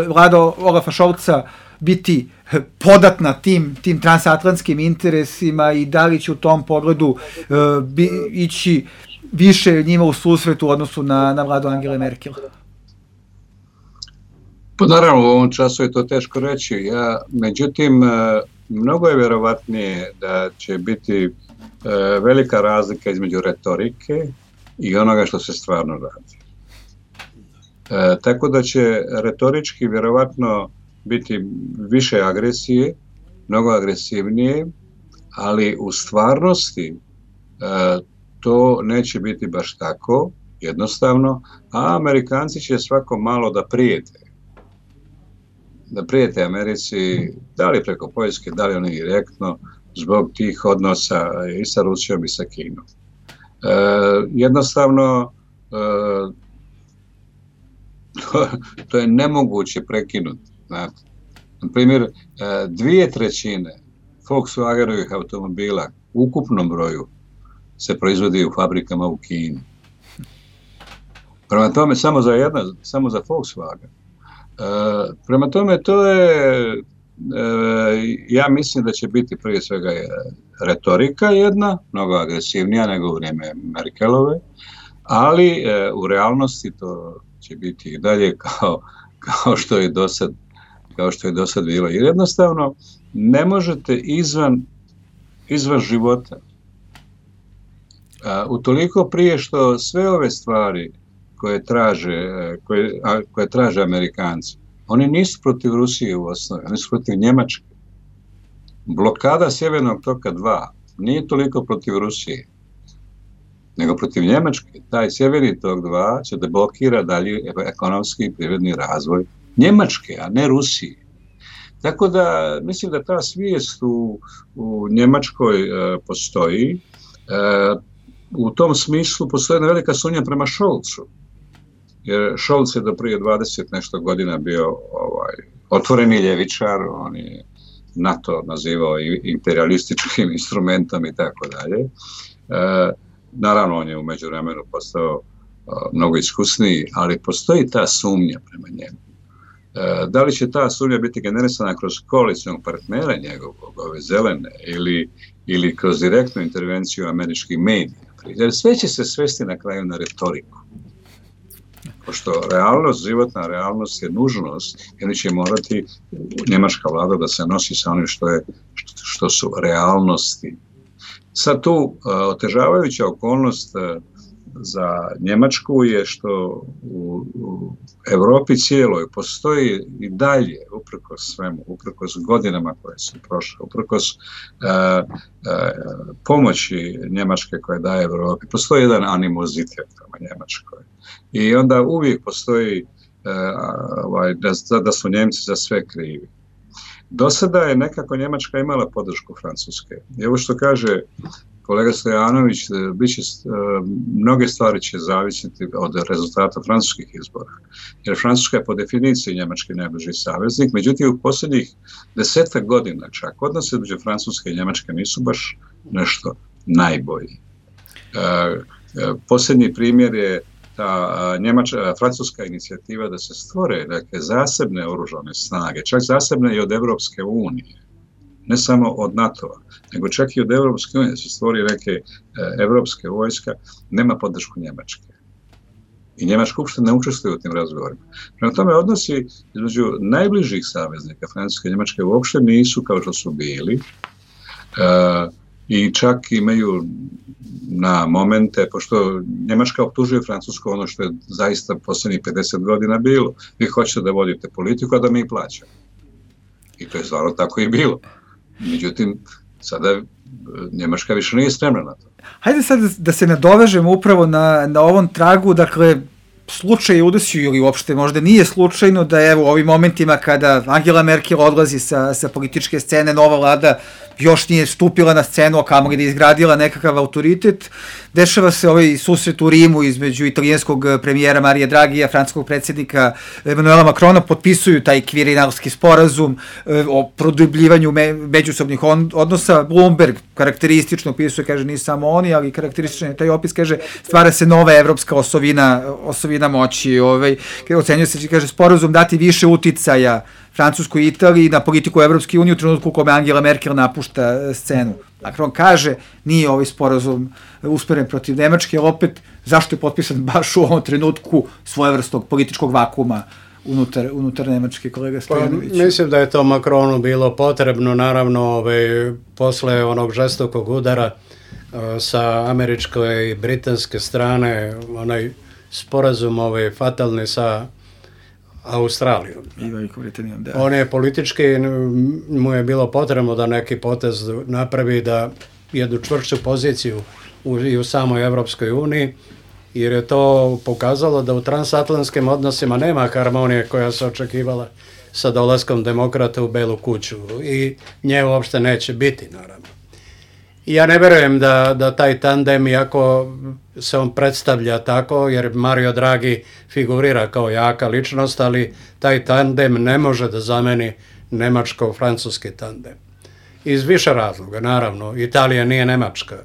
Speaker 3: vlada Olafa Scholza biti podatna tim, tim transatlantskim interesima i da li će u tom pogledu e, bi, ići više njima u susretu u odnosu na, na vladu Angele Merkel?
Speaker 5: Pa naravno, u ovom času je to teško reći. Ja, međutim, mnogo je vjerovatnije da će biti velika razlika između retorike i onoga što se stvarno radi. E, tako da će retorički vjerovatno biti više agresije, mnogo agresivnije, ali u stvarnosti e, to neće biti baš tako, jednostavno, a Amerikanci će svako malo da prijete. Da prijete Americi, da li preko Poljske, da li oni direktno, zbog tih odnosa i sa Rusijom i sa Kinom. E, jednostavno, e, to, to je nemoguće prekinuti. Znate. Na primjer, e, dvije trećine Volkswagenovih automobila u ukupnom broju se proizvodi u fabrikama u Kini. Prema tome, samo za jedna, samo za Volkswagen. E, prema tome, to je, e, ja mislim da će biti prije svega retorika jedna, mnogo agresivnija nego u vrijeme Merkelove, ali e, u realnosti to će biti i dalje kao, kao što je do sad, kao što je do sad bilo. Jer jednostavno ne možete izvan, izvan života. A, utoliko prije što sve ove stvari koje traže, koje, a, koje traže Amerikanci, oni nisu protiv Rusije u osnovi, oni su protiv Njemačke. Blokada Sjevernog toka dva nije toliko protiv Rusije, nego protiv Njemačke. Taj Sjeverni tok dva će da blokira dalje ekonomski i privredni razvoj Njemačke, a ne Rusije. Tako da mislim da ta svijest u, u Njemačkoj e, postoji. E, u tom smislu postoji jedna velika sumnja prema Scholzu. jer Scholz je do prije dvadeset nešto godina bio ovaj, otvoreni ljevičar, on je NATO nazivao i imperialističkim instrumentom i tako dalje. E, naravno, on je u međuvremenu postao a, mnogo iskusniji, ali postoji ta sumnja prema njemu. E, da li će ta sumnja biti generisana kroz koalicijnog partnera njegovog, ove zelene, ili, ili kroz direktnu intervenciju američkih medija? Jer sve će se svesti na kraju na retoriku. Pošto realnost, životna realnost je nužnost, jer će morati njemačka vlada da se nosi sa onim što, je, što su realnosti. Sad tu uh, otežavajuća okolnost uh, za Njemačku je što u, u Evropi cijeloj postoji i dalje, uprkos svemu, uprkos godinama koje su prošle, uprkos uh, uh, pomoći Njemačke koje daje Evropi, postoji jedan animozitet prema Njemačkoj. I onda uvijek postoji uh, ovaj, da, da su Njemci za sve krivi. Do sada je nekako Njemačka imala podršku Francuske. I ovo što kaže kolega Stojanović, bit će, mnoge stvari će zavisiti od rezultata francuskih izbora. Jer Francuska je po definiciji Njemački najbliži saveznik, međutim u posljednjih desetak godina čak odnose između Francuske i Njemačke nisu baš nešto najbolji. Posljednji primjer je ta njemačka, francuska inicijativa da se stvore neke zasebne oružane snage, čak zasebne i od Evropske unije. Ne samo od NATO-a, nego čak i od Evropske unije, da se stvori neke e, evropske vojska, nema podršku Njemačke. I Njemačka uopšte ne učestvuje u tim razgovorima. Prema tome, odnosi između najbližih saveznika Francuske i Njemačke uopšte nisu kao što su bili e, i čak imaju na momente, pošto Njemačka optužuje Francusku ono što je zaista posljednjih pedeset godina bilo. Vi hoćete da vodite politiku, a da mi plaćamo. I to je stvarno tako i bilo. Međutim, sada Njemačka više nije spremna na to.
Speaker 3: Hajde sad da se nadovežemo upravo na, na ovom tragu, dakle, slučaj udesio ili uopšte možda nije slučajno da evo u ovim momentima kada Angela Merkel odlazi sa, sa političke scene, nova vlada još nije stupila na scenu, a kamoli da je izgradila nekakav autoritet. Dešava se ovaj susret u Rimu između italijanskog premijera Marija Dragija, francuskog predsjednika Emanuela Macrona, potpisuju taj kvirinalski sporazum o produbljivanju me, međusobnih on, odnosa. Bloomberg karakteristično opisuje, kaže, nije samo oni, ali karakterističan je taj opis, kaže, stvara se nova evropska osovina, osovina moći. Ovaj, ocenjuje se, kaže, sporazum dati više uticaja Francuskoj i Italiji na politiku Evropske unije u trenutku u kome Angela Merkel napušta scenu. Macron kaže, nije ovaj sporazum usmeren protiv Nemačke, ali opet, zašto je potpisan baš u ovom trenutku svojevrsnog političkog vakuma unutar, unutar Nemačke, kolega Stojanović?
Speaker 4: Pa, mislim da je to Macronu bilo potrebno, naravno, ovaj, posle onog žestokog udara uh, sa američke i britanske strane, onaj sporazum ovaj, fatalni sa Australijom.
Speaker 3: I Velikom Britanijom, da.
Speaker 4: On je politički, mu je bilo potrebno da neki potez napravi, da jednu čvršću poziciju u, i u samoj Evropskoj uniji, jer je to pokazalo da u transatlantskim odnosima nema harmonije koja se očekivala sa dolaskom demokrata u Belu kuću i nje uopšte neće biti, naravno. I ja ne verujem da, da taj tandem, iako se on predstavlja tako, jer Mario Draghi figurira kao jaka ličnost, ali taj tandem ne može da zameni nemačko-francuski tandem. Iz više razloga, naravno. Italija nije Nemačka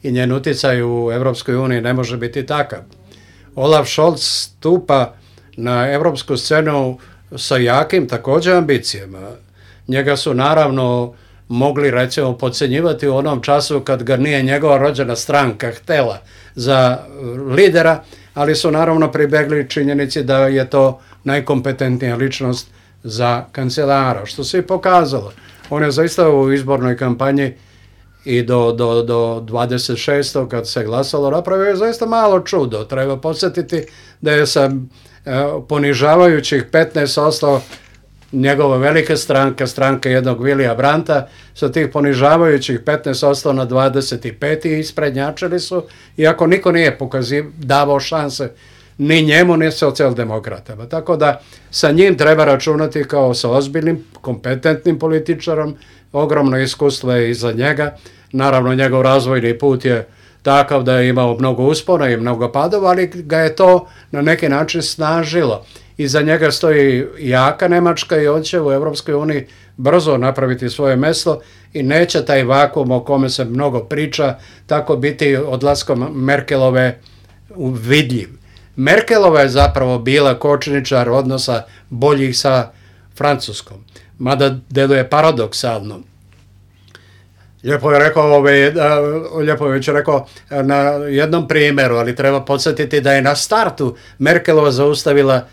Speaker 4: i njen uticaj u Evropskoj uniji ne može biti takav. Olaf Scholz stupa na evropsku scenu sa jakim također ambicijama. Njega su naravno mogli, recimo, podcenjivati u onom času kad ga nije njegova rođena stranka htela za lidera, ali su naravno pribegli činjenici da je to najkompetentnija ličnost za kancelara, što se i pokazalo. On je zaista u izbornoj kampanji i do, do, do dvadeset šestog kad se glasalo napravio je zaista malo čudo. Treba podsjetiti da je sa e, ponižavajućih petnaest posto njegova velika stranka, stranka jednog Willija Brandta, sa tih ponižavajućih petnaest posto na dvadeset pet i isprednjačili su, iako niko nije pokaziv, davao šanse ni njemu, ni socijaldemokratama. Tako da sa njim treba računati kao sa ozbiljnim, kompetentnim političarom, ogromno iskustvo je iza njega. Naravno, njegov razvojni put je takav da je imao mnogo uspona i mnogo padova, ali ga je to na neki način snažilo. Iza njega stoji jaka Nemačka i on će u Europskoj uniji brzo napraviti svoje mjesto i neće taj vakuum o kome se mnogo priča tako biti odlaskom Merkelove vidljiv. Merkelova je zapravo bila kočničar odnosa boljih sa Francuskom, mada deluje paradoksalno. Lijepo je rekao, ove, lijepo je već rekao na jednom primjeru, ali treba podsjetiti da je na startu Merkelova zaustavila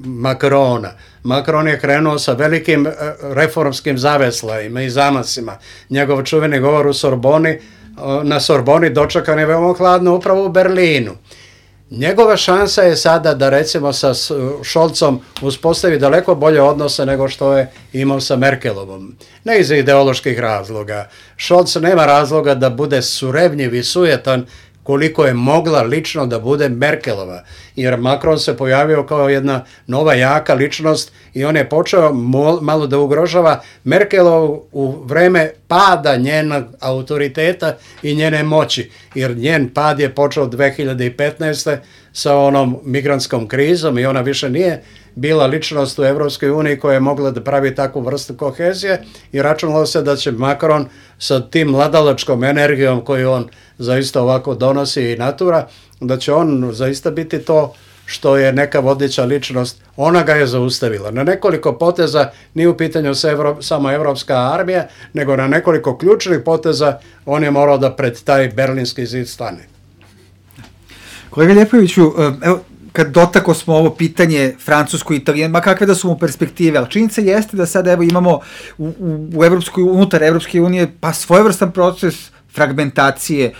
Speaker 4: Macrona. Macron je krenuo sa velikim reformskim zaveslajima i zamasima. Njegov čuveni govor u Sorboni, na Sorboni dočekan je veoma hladno upravo u Berlinu. Njegova šansa je sada da recimo sa Scholzom uspostavi daleko bolje odnose nego što je imao sa Merkelovom. Ne iz ideoloških razloga. Scholz nema razloga da bude surevnjiv i sujetan koliko je mogla lično da bude Merkelova, jer Macron se pojavio kao jedna nova jaka ličnost i on je počeo malo da ugrožava Merkelovu u vreme pada njenog autoriteta i njene moći, jer njen pad je počeo dve hiljade petnaeste sa onom migrantskom krizom i ona više nije bila ličnost u Evropskoj uniji koja je mogla da pravi takvu vrstu kohezije i računalo se da će Macron sa tim mladalačkom energijom koju on zaista ovako donosi i natura, da će on zaista biti to što je neka vodeća ličnost, ona ga je zaustavila. Na nekoliko poteza, nije u pitanju samo evropska armija, nego na nekoliko ključnih poteza on je morao da pred taj berlinski zid stane.
Speaker 3: Kolega Ljepoviću, evo, kad dotako smo ovo pitanje francusko-italijan, ma kakve da su mu perspektive, ali činjenica jeste da sada evo imamo u, u, u Evropskoj, unutar Evropske unije pa svojevrstan proces fragmentacije, e,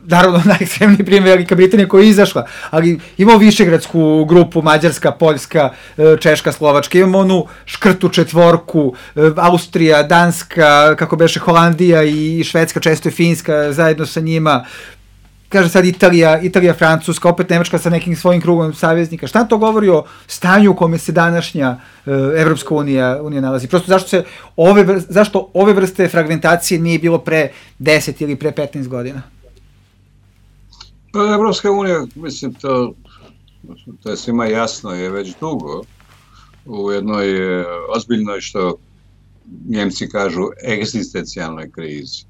Speaker 3: naravno najekstremniji primjer Velika Britanija koja je izašla, ali imamo Višegradsku grupu, Mađarska, Poljska, e, Češka, Slovačka, imamo onu škrtu četvorku, e, Austrija, Danska, kako beše Holandija i Švedska, često i Finska zajedno sa njima, kaže sad Italija, Italija, Francuska, opet Nemačka sa nekim svojim krugom saveznika. Šta to govori o stanju u kome se današnja e, Evropska unija, unija nalazi? Prosto zašto, se ove, zašto ove vrste fragmentacije nije bilo pre deset ili pre petnaest godina?
Speaker 5: Pa Evropska unija, mislim, to, to je svima jasno, je već dugo u jednoj ozbiljnoj, što Njemci kažu, egzistencijalnoj krizi.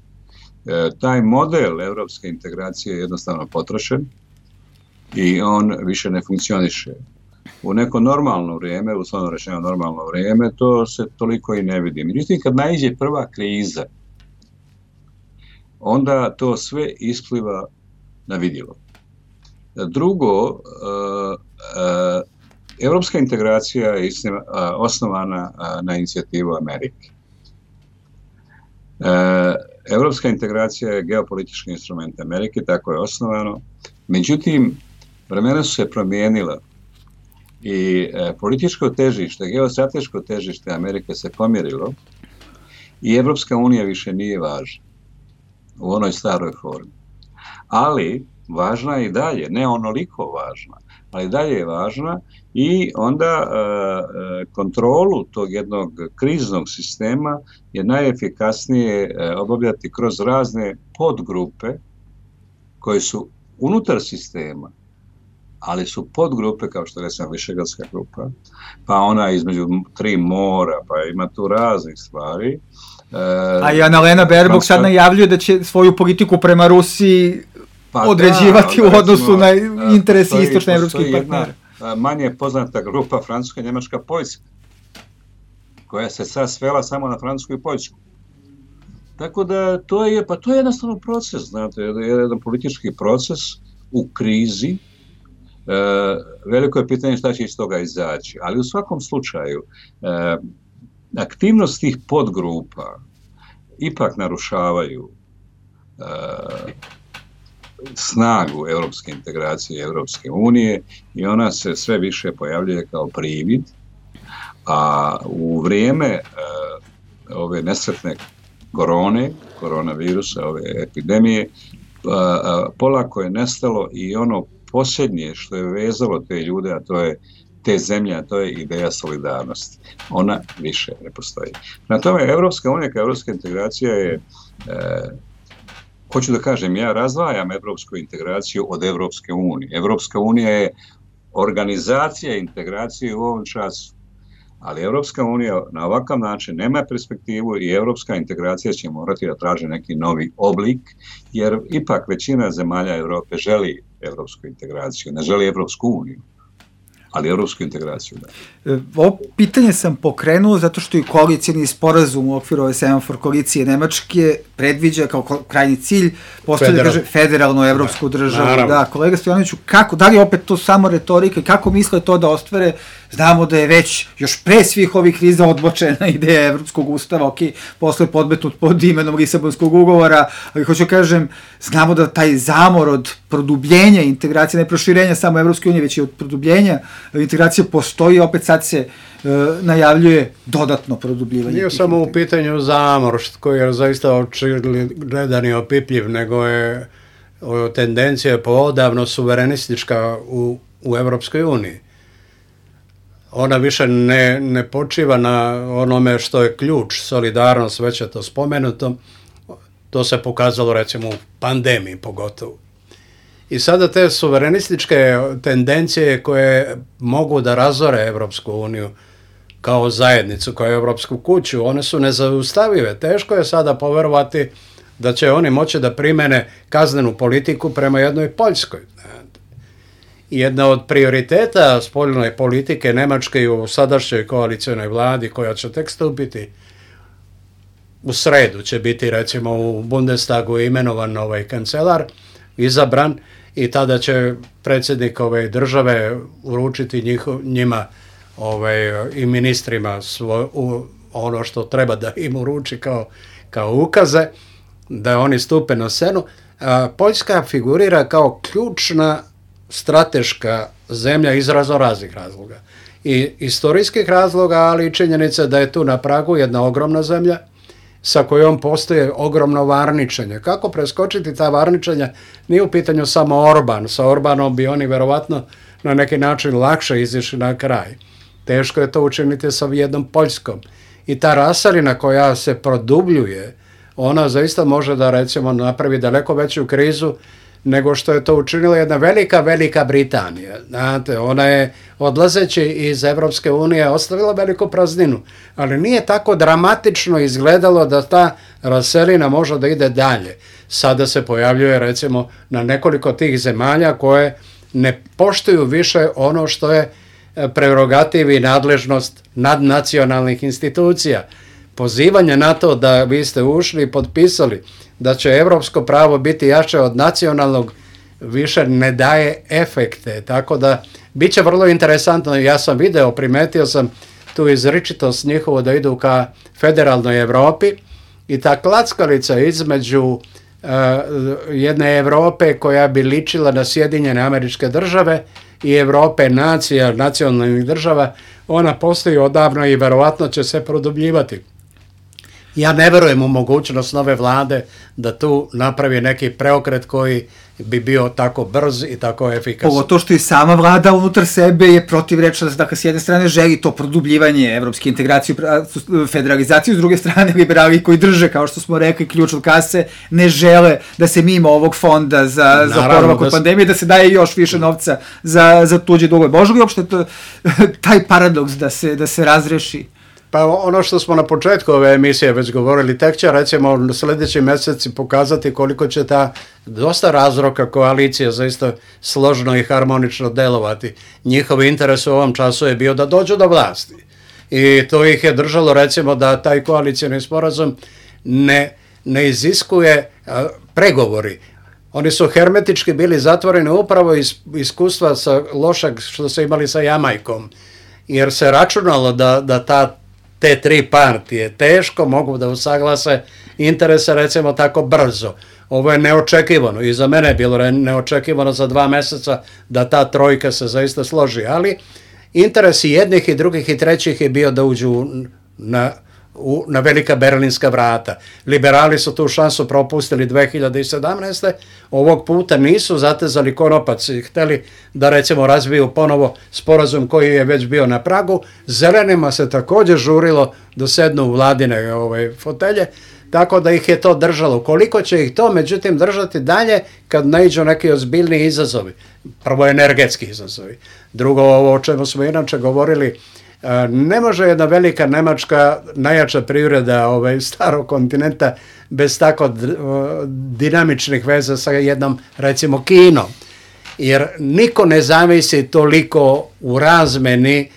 Speaker 5: Taj model evropske integracije je jednostavno potrošen i on više ne funkcioniše. U neko normalno vrijeme, uslovno rečeno normalno vrijeme, to se toliko i ne vidi. Međutim, kad naiđe prva kriza, onda to sve ispliva na vidjelo. Drugo, evropska integracija je osnovana na inicijativu Amerike. Evropska integracija je geopolitički instrument Amerike, tako je osnovano. Međutim, vremena su se promijenila i političko težište, geostrateško težište Amerike se pomjerilo i Evropska unija više nije važna u onoj staroj formi. Ali važna je i dalje, ne onoliko važna, ali dalje je važna i onda e, kontrolu tog jednog kriznog sistema je najefikasnije e, obavljati kroz razne podgrupe koje su unutar sistema, ali su podgrupe, kao što recimo Višegradska grupa, pa ona između tri mora, pa ima tu raznih stvari. E,
Speaker 3: A i Annalena Baerbock sad najavljuje da će svoju politiku prema Rusiji pa određivati da, u odnosu na interesi istočne evropskih partnera.
Speaker 5: Manje poznata grupa Francuska, Njemačka, Poljska, koja se sad svela samo na Francusku i Poljsku. Tako da to je, pa to je jednostavno proces, znate, jedan politički proces u krizi. E, veliko je pitanje šta će iz toga izaći, ali u svakom slučaju e, aktivnost tih podgrupa ipak narušavaju e, snagu europske integracije Evropske unije i ona se sve više pojavljuje kao privid, a u vrijeme e, ove nesretne korone, koronavirusa, ove epidemije, a, a, polako je nestalo i ono posljednje što je vezalo te ljude, a to je te zemlje, a to je ideja solidarnosti. Ona više ne postoji. Na tome, Evropska unija kao evropska integracija je e, hoću da kažem, ja razdvajam evropsku integraciju od Evropske unije. Evropska unija je organizacija integracije u ovom času, ali Evropska unija na ovakav način nema perspektivu i evropska integracija će morati da traži neki novi oblik, jer ipak većina zemalja Evrope želi evropsku integraciju, ne želi Evropsku uniju, ali evropsku integraciju, da.
Speaker 3: Ovo pitanje sam pokrenuo zato što i koalicijni sporazum u okviru ove semafor koalicije Nemačke predviđa kao krajnji cilj postoje da kaže federalnu evropsku državu. Naravno. Da, kolega Stojanoviću, kako, da li opet to samo retorika i kako misle to da ostvare? Znamo da je već još pre svih ovih kriza odbočena ideja Evropskog ustava, ok, posle podmetnut pod imenom Lisabonskog ugovora, ali hoću kažem, znamo da taj zamor od produbljenja integracije, ne proširenja samo Evropske unije, već i od produbljenja integracije postoji, opet sad se e, najavljuje dodatno produbljivanje.
Speaker 4: Nije samo u pitanju zamor, koji je zaista očigledan i opipljiv, nego je o, tendencija poodavno suverenistička u, u Evropskoj uniji. Ona više ne, ne počiva na onome što je ključ, solidarnost, već je to spomenuto. To se pokazalo recimo u pandemiji pogotovo. I sada te suverenističke tendencije koje mogu da razore Evropsku uniju kao zajednicu, kao Evropsku kuću, one su nezaustavive. Teško je sada poverovati da će oni moći da primene kaznenu politiku prema jednoj Poljskoj. Jedna od prioriteta spoljne politike Nemačke u sadašnjoj koalicijnoj vladi, koja će tek stupiti u sredu, će biti recimo u Bundestagu imenovan ovaj kancelar, izabran, i tada će predsjednik ove države uručiti njihov, njima ovaj, i ministrima svoj, u, ono što treba da im uruči kao, kao ukaze, da oni stupe na scenu. A, Poljska figurira kao ključna strateška zemlja iz raznoraznih razloga. I istorijskih razloga, ali i činjenica da je tu na pragu jedna ogromna zemlja sa kojom postoje ogromno varničenje. Kako preskočiti ta varničenja? Nije u pitanju samo Orban. Sa Orbanom bi oni verovatno na neki način lakše izišli na kraj. Teško je to učiniti sa jednom Poljskom. I ta raselina koja se produbljuje, ona zaista može da recimo napravi daleko veću krizu nego što je to učinila jedna velika, velika Britanija. Znate, ona je odlazeći iz Evropske unije ostavila veliku prazninu, ali nije tako dramatično izgledalo da ta raselina može da ide dalje. Sada se pojavljuje recimo na nekoliko tih zemalja koje ne poštuju više ono što je prerogativ i nadležnost nadnacionalnih institucija. Pozivanje na to da vi ste ušli i potpisali da će evropsko pravo biti jače od nacionalnog više ne daje efekte, tako da bit će vrlo interesantno. Ja sam video, primetio sam tu izričitost njihovo da idu ka federalnoj Evropi i ta klackalica između uh, jedne Evrope koja bi ličila na Sjedinjene Američke Države i Evrope nacija, nacionalnih država, ona postoji odavno i verovatno će se produbljivati. Ja ne verujem u mogućnost nove vlade da tu napravi neki preokret koji bi bio tako brz i tako efikasan.
Speaker 3: Pogotovo što i sama vlada unutar sebe je protivrečna, dakle s jedne strane želi to produbljivanje evropske integracije, federalizaciju, s druge strane liberali koji drže, kao što smo rekli, ključ od kase, ne žele da se mimo ovog fonda za, za oporavak od pandemije, da se daje još više novca za, za tuđe dugove. Može li uopšte to, taj paradoks da se, da se razreši?
Speaker 4: Pa ono što smo na početku ove emisije već govorili, tek će recimo sljedeći mjeseci pokazati koliko će ta dosta razroka koalicija zaista složno i harmonično delovati. Njihov interes u ovom času je bio da dođu do vlasti. I to ih je držalo recimo da taj koalicijni sporazum ne, ne iziskuje a, pregovori. Oni su hermetički bili zatvoreni upravo iz iskustva sa lošeg što su imali sa Jamajkom. Jer se računalo da, da ta te tri partije teško mogu da usaglase interese recimo tako brzo. Ovo je neočekivano i za mene je bilo neočekivano za dva mjeseca da ta trojka se zaista složi, ali interes i jednih i drugih i trećih je bio da uđu na, u, na velika berlinska vrata. Liberali su tu šansu propustili dve hiljade sedamnaeste. Ovog puta nisu zatezali konopac i hteli da recimo razviju ponovo sporazum koji je već bio na pragu. Zelenima se također žurilo da sednu u vladine ove fotelje. tako da ih je to držalo. Koliko će ih to, međutim, držati dalje kad naiđu neki ozbiljni izazovi? Prvo energetski izazovi. Drugo, ovo o čemu smo inače govorili, ne može jedna velika Nemačka, najjača privreda ovaj, starog kontinenta, bez tako dinamičnih veza sa jednom, recimo, Kinom. Jer niko ne zavisi toliko u razmeni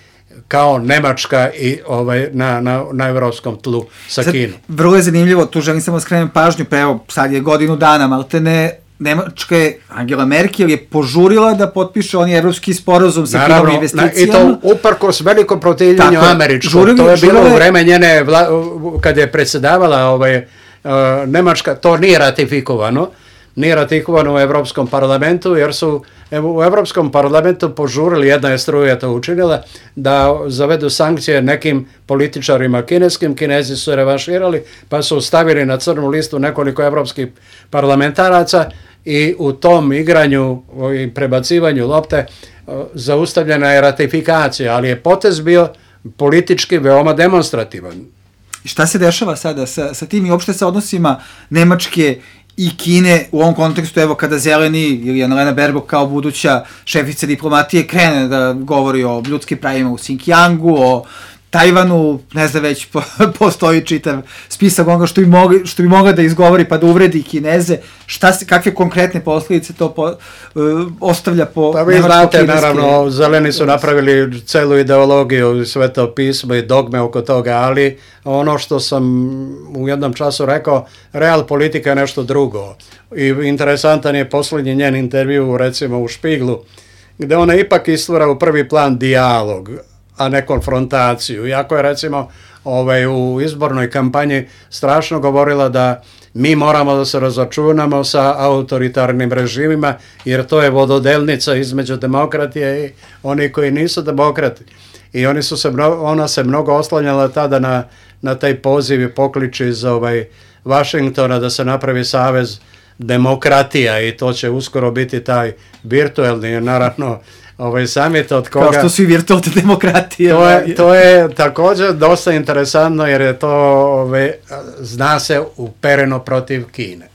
Speaker 4: kao Nemačka i ovaj, na, na, na evropskom tlu sa sad, Kinom.
Speaker 3: Vrlo je zanimljivo, tu želim samo skrenem pažnju, pa evo, sad je godinu dana, maltene Nemačka je, Angela Merkel je požurila da potpiše oni evropski sporazum sa Kinom investicijama.
Speaker 4: I to uprkos velikom protivljenju američkom. To je bilo u vreme njene, vla, kad je predsjedavala ovaj, uh, Nemačka, to nije ratifikovano. Nije ratifikovano u Evropskom parlamentu, jer su u Evropskom parlamentu požurili, jedna je struja to učinila, da zavedu sankcije nekim političarima kineskim. Kinezi su revanširali, pa su stavili na crnu listu nekoliko evropskih parlamentaraca i u tom igranju i prebacivanju lopte zaustavljena je ratifikacija, ali je potez bio politički veoma demonstrativan.
Speaker 3: I šta se dešava sada sa, sa tim i uopšte sa odnosima Nemačke i Kine u ovom kontekstu, evo kada Zeleni ili Annalena Baerbock kao buduća šefica diplomatije krene da govori o ljudskim pravima u Xinjiangu, o Tajvanu, ne znam, već po, postoji čitav spisak onoga što bi, mogli, što bi mogla da izgovori pa da uvredi Kineze, šta se, kakve konkretne posljedice to po, uh, ostavlja po
Speaker 4: pa vi znate, naravno, Zeleni su napravili celu ideologiju, sveto pismo i dogme oko toga, ali ono što sam u jednom času rekao, real politika je nešto drugo. I interesantan je posljednji njen intervju, recimo u Špiglu, gde ona ipak istvara u prvi plan dijalog, a ne konfrontaciju. Iako je, recimo, ovaj, u izbornoj kampanji strašno govorila da mi moramo da se razočunamo sa autoritarnim režimima, jer to je vododelnica između demokratije i oni koji nisu demokrati. I oni su se, ona se mnogo oslanjala tada na, na taj poziv i poklič iz ovaj, Vašingtona da se napravi savez demokratija i to će uskoro biti taj virtuelni, naravno, ovaj summit od koga...
Speaker 3: Kao što su i virtualne demokratije.
Speaker 4: To je, to je također dosta interesantno jer je to, ovaj, zna se, upereno protiv Kine.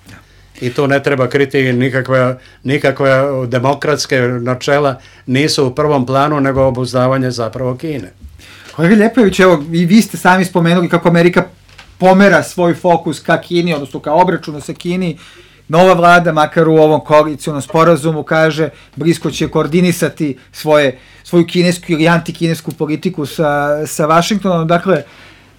Speaker 4: I tu ne treba kriti nikakve, nikakve demokratske načela, nisu u prvom planu, nego obuzdavanje zapravo Kine.
Speaker 3: Kolega Ljepojević, evo, i vi ste sami spomenuli kako Amerika pomera svoj fokus ka Kini, odnosno ka obračunu sa Kini. Nova vlada, makar u ovom koalicijonom sporazumu, kaže, blisko će koordinisati svoje, svoju kinesku ili antikinesku politiku sa, sa Vašingtonom. Dakle,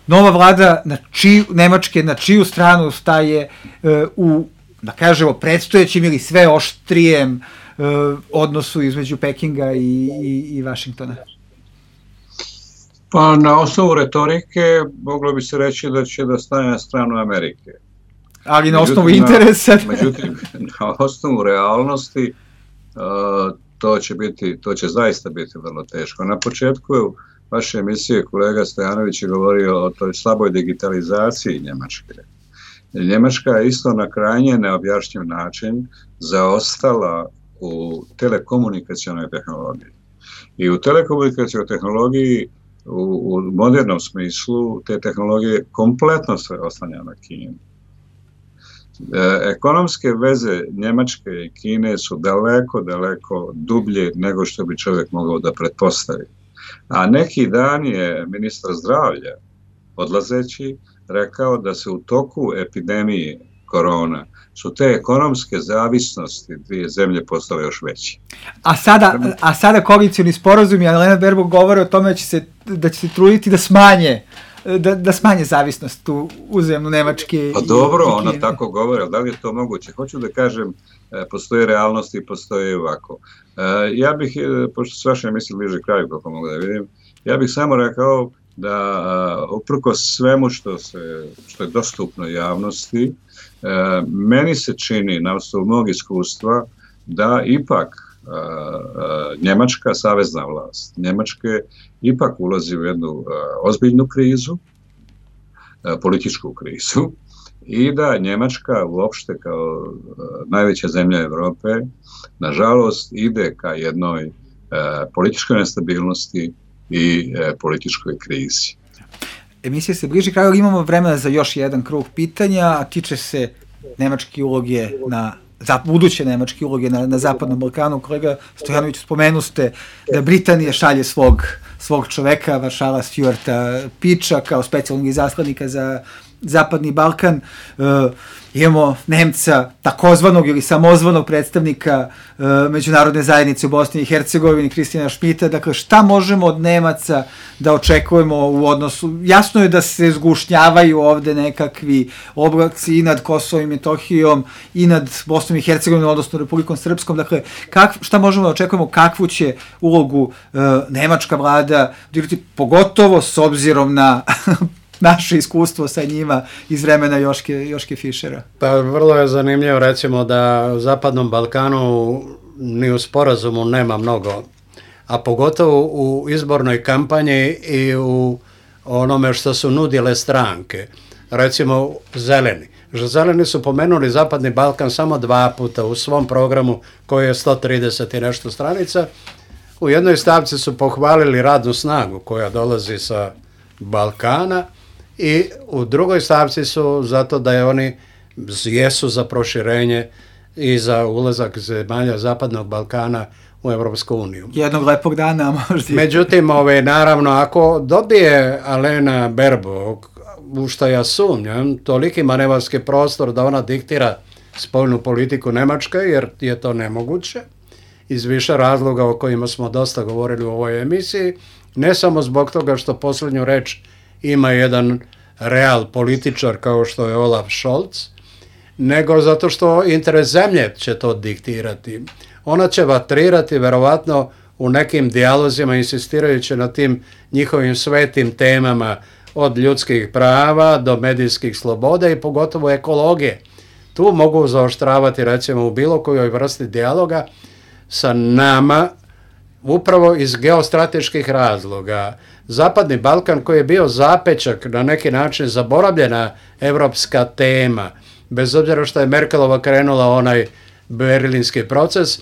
Speaker 3: nova vlada na čiju, Nemačke na čiju stranu staje e, u, da kažemo, predstojećim ili sve oštrijem e, odnosu između Pekinga i, i, i Vašingtona?
Speaker 5: Pa na osnovu retorike moglo bi se reći da će da stane na stranu Amerike.
Speaker 3: Ali na osnovu interesa.
Speaker 5: Međutim, na osnovu realnosti uh, to će biti, to će zaista biti vrlo teško. Na početku vaše emisije kolega Stojanović je govorio o toj slaboj digitalizaciji Njemačke. Njemačka je isto na krajnje neobjašnjiv način zaostala u telekomunikacionoj tehnologiji. I u telekomunikacionoj tehnologiji u, u modernom smislu te tehnologije kompletno se oslanja na Kinu. Ekonomske veze Njemačke i Kine su daleko, daleko dublje nego što bi čovjek mogao da pretpostavi. A neki dan je ministar zdravlja, odlazeći, rekao da se u toku epidemije korona su te ekonomske zavisnosti dvije zemlje postale još veće.
Speaker 3: A sada, a sada koalicijoni sporazum i Annalena Baerbock govore o tome da će se, da će se truditi da smanje Da, da smanje zavisnost u uzemnu Nemačke.
Speaker 5: Pa dobro, ona tako govori, da li je to moguće? Hoću da kažem, postoje realnosti i postoje ovako. Ja bih, pošto s vaše misli bliže kraju, kako mogu da vidim, ja bih samo rekao da uprkos svemu što, se, što je dostupno javnosti, meni se čini, na osnovu mog iskustva, da ipak Njemačka, savezna vlast Njemačke, ipak ulazi u jednu uh, ozbiljnu krizu, uh, političku krizu, i da Njemačka uopšte kao uh, najveća zemlja Evrope, nažalost, ide ka jednoj uh, političkoj nestabilnosti i uh, političkoj krizi.
Speaker 3: emisija se bliži kraju, ali imamo vremena za još jedan krug pitanja, a tiče se nemačke uloge na za buduće nemačke uloge na, na Zapadnom Balkanu. Kolega Stojanović, spomenu ste da Britanija šalje svog, svog čoveka, Maršala Stuarta Piča, kao specijalnog izaslanika za Zapadni Balkan. E, imamo Nemca, takozvanog ili samozvanog predstavnika e, međunarodne zajednice u Bosni i Hercegovini, Kristijana Šmita. Dakle, šta možemo od Nemaca da očekujemo u odnosu? Jasno je da se zgušnjavaju ovde nekakvi oblaci i nad Kosovom i Metohijom i nad Bosnom i Hercegovinom, odnosno Republikom Srpskom. Dakle, kak, šta možemo da očekujemo, kakvu će ulogu e, nemačka vlada odigrati, pogotovo s obzirom na naše iskustvo sa njima iz vremena Joške, Joške Fišera?
Speaker 4: Pa vrlo je zanimljivo, recimo, da u Zapadnom Balkanu ni u sporazumu nema mnogo, a pogotovo u izbornoj kampanji i u onome što su nudile stranke. Recimo Zeleni. Zeleni su pomenuli Zapadni Balkan samo dva puta u svom programu koji je sto trideset i nešto stranica. U jednoj stavci su pohvalili radnu snagu koja dolazi sa Balkana, i u drugoj stavci su zato da je oni jesu za proširenje i za ulazak zemalja Zapadnog Balkana u Evropsku uniju.
Speaker 3: Jednog lepog dana možda.
Speaker 4: Međutim, ove, naravno, ako dobije Alena Baerbock, u što ja sumnjam, toliki manevarski prostor da ona diktira spoljnu politiku Nemačke, jer je to nemoguće, iz više razloga o kojima smo dosta govorili u ovoj emisiji, ne samo zbog toga što posljednju reč ima jedan real političar kao što je Olaf Scholz, nego zato što interes zemlje će to diktirati. Ona će vatrirati verovatno u nekim dijalozima, insistirajući na tim njihovim svetim temama, od ljudskih prava do medijskih sloboda i pogotovo ekologije. Tu mogu zaoštravati, recimo, u bilo kojoj vrsti dijaloga sa nama, upravo iz geostrateških razloga. Zapadni Balkan, koji je bio zapečak, na neki način zaboravljena evropska tema, bez obzira što je Merkelova krenula onaj berlinski proces,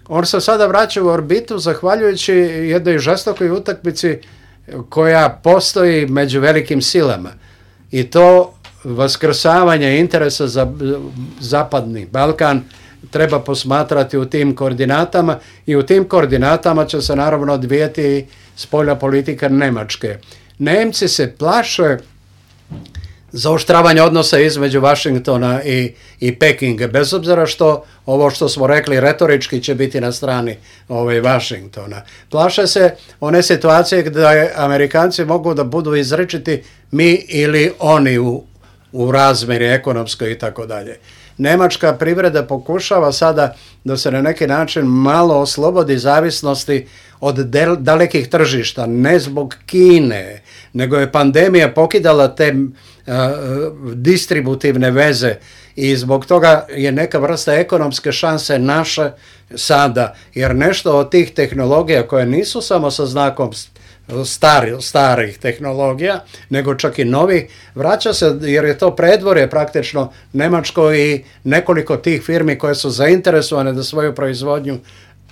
Speaker 4: on se sada vraća u orbitu zahvaljujući jednoj žestokoj utakmici koja postoji među velikim silama. I to vaskrsavanje interesa za Zapadni Balkan treba posmatrati u tim koordinatama i u tim koordinatama će se naravno odvijeti spoljna politika Nemačke. Nemci se plaše zaoštravanja odnosa između Vašingtona i, i Pekinga, bez obzira što ovo što smo rekli retorički će biti na strani ovaj, Vašingtona. Plaše se one situacije gdje Amerikanci mogu da budu izrečiti mi ili oni u, u razmjeri ekonomskoj i tako dalje. Nemačka privreda pokušava sada da se na neki način malo oslobodi zavisnosti od del, dalekih tržišta, ne zbog Kine, nego je pandemija pokidala te uh, distributivne veze i zbog toga je neka vrsta ekonomske šanse naše sada, jer nešto od tih tehnologija koje nisu samo sa znakom Stari, starih tehnologija, nego čak i novi, vraća se jer je to predvorje praktično Nemačko i nekoliko tih firmi koje su zainteresovane da svoju proizvodnju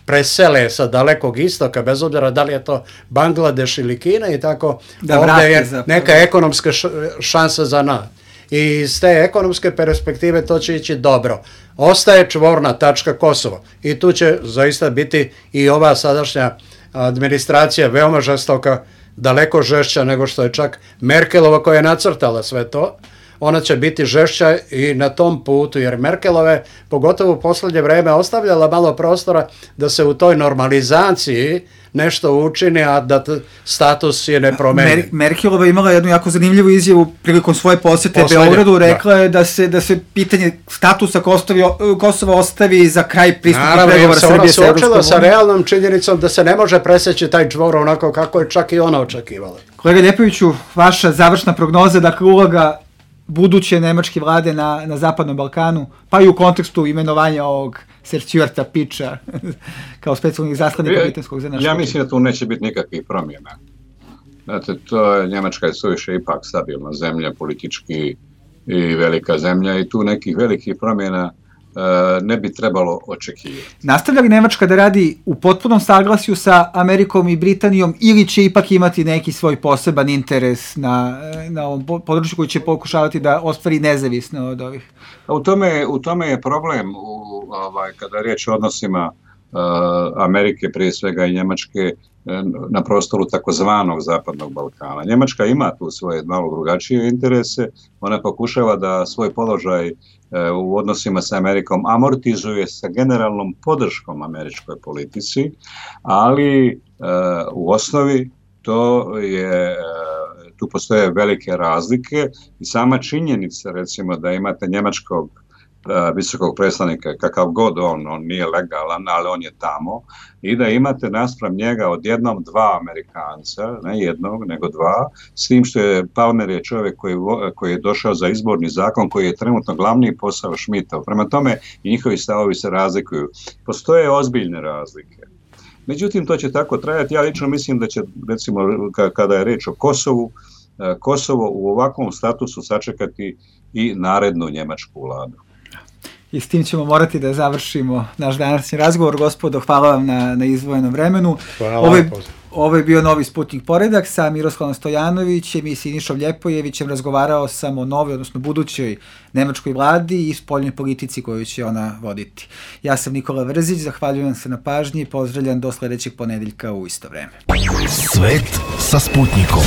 Speaker 4: presele sa dalekog istoka, bez obzira da li je to Bangladeš ili Kina i tako, da ovdje je neka ekonomska šansa za nas. I iz te ekonomske perspektive to će ići dobro. Ostaje čvorna tačka Kosovo i tu će zaista biti i ova sadašnja administracija veoma žestoka, daleko žešća nego što je čak Merkelova koja je nacrtala sve to. Ona će biti žešća i na tom putu, jer Merkelove, pogotovo u posljednje vreme, ostavljala malo prostora da se u toj normalizaciji nešto učini, a da status je ne promeni.
Speaker 3: Mer Merkelova imala jednu jako zanimljivu izjavu prilikom svoje posjete Poslednje, Beogradu, rekla da. je da se, da se pitanje statusa Kosova ostavi za kraj pristupnog pregovora Srbije sa Evropskom unijom. Ona se očela
Speaker 4: sa realnom činjenicom da se ne može preseći taj čvor onako kako je čak i ona očekivala.
Speaker 3: Kolega Ljepoviću, vaša završna prognoza, dakle uloga buduće nemačke vlade na, na Zapadnom Balkanu, pa i u kontekstu imenovanja ovog Sir Stuarta Piča kao specijalnih zaslanika britanskog za naš
Speaker 5: Ja mislim da tu neće biti nikakvih promjena. Znate, to je, Njemačka je suviše ipak stabilna zemlja, politički i velika zemlja i tu nekih velikih promjena ne bi trebalo očekivati.
Speaker 3: Nastavlja li Nemačka da radi u potpunom saglasju sa Amerikom i Britanijom ili će ipak imati neki svoj poseban interes na, na ovom području koji će pokušavati da ostvari nezavisno od ovih?
Speaker 5: U tome, u tome je problem u, ovaj, kada je riječ o odnosima uh, Amerike, prije svega i Njemačke, na prostoru takozvanog Zapadnog Balkana. Njemačka ima tu svoje malo drugačije interese, ona pokušava da svoj položaj u odnosima sa Amerikom amortizuje sa generalnom podrškom američkoj politici, ali u osnovi to je, tu postoje velike razlike i sama činjenica, recimo, da imate njemačkog visokog predstavnika, kakav god on, on nije legalan, ali on je tamo, i da imate naspram njega odjednom dva Amerikanca, ne jednog, nego dva, s tim što je Palmer je čovjek koji, koji je došao za izborni zakon, koji je trenutno glavni posao Schmidtov. Prema tome i njihovi stavovi se razlikuju. Postoje ozbiljne razlike. Međutim, to će tako trajati. Ja lično mislim da će, recimo, kada je reč o Kosovu, Kosovo u ovakvom statusu sačekati i narednu njemačku vladu.
Speaker 3: I s tim ćemo morati da završimo naš današnji razgovor. Gospodo, hvala vam na, na izdvojenom vremenu. Ovo je, ovo je bio Novi Sputnik poredak sa Miroslavom Stojanovićem i Sinišom Ljepojevićem. Razgovarao sam o novoj, odnosno budućoj nemačkoj vladi i spoljnoj politici koju će ona voditi. Ja sam Nikola Vrzić, zahvaljujem se na pažnji i pozdravljam do sledećeg ponedeljka u isto vreme.
Speaker 1: Svet sa Sputnikom.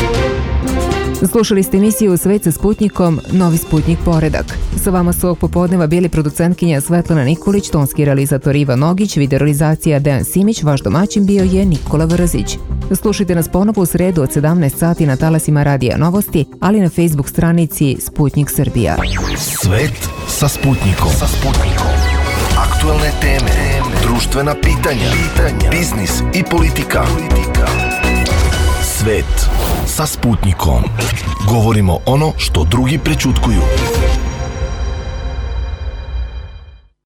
Speaker 2: Slušali ste emisiju Svet sa Sputnikom, Novi Sputnik poredak. Sa vama su ovog popodneva bili producentkinja Svetlana Nikolić, tonski realizator Ivan Nogić, videorealizacija Dejan Simić, vaš domaćin bio je Nikola Vrzić. Slušajte nas ponovo u sredu od sedamnaest sati na talasima Radija Novosti, ali na Facebook stranici Sputnik Srbija.
Speaker 1: Svet sa Sputnikom. Sa Sputnikom. Aktualne teme, društvena pitanja, pitanja, biznis i politika. politika. Svet sa Sputnikom. Govorimo ono što drugi prećutkuju.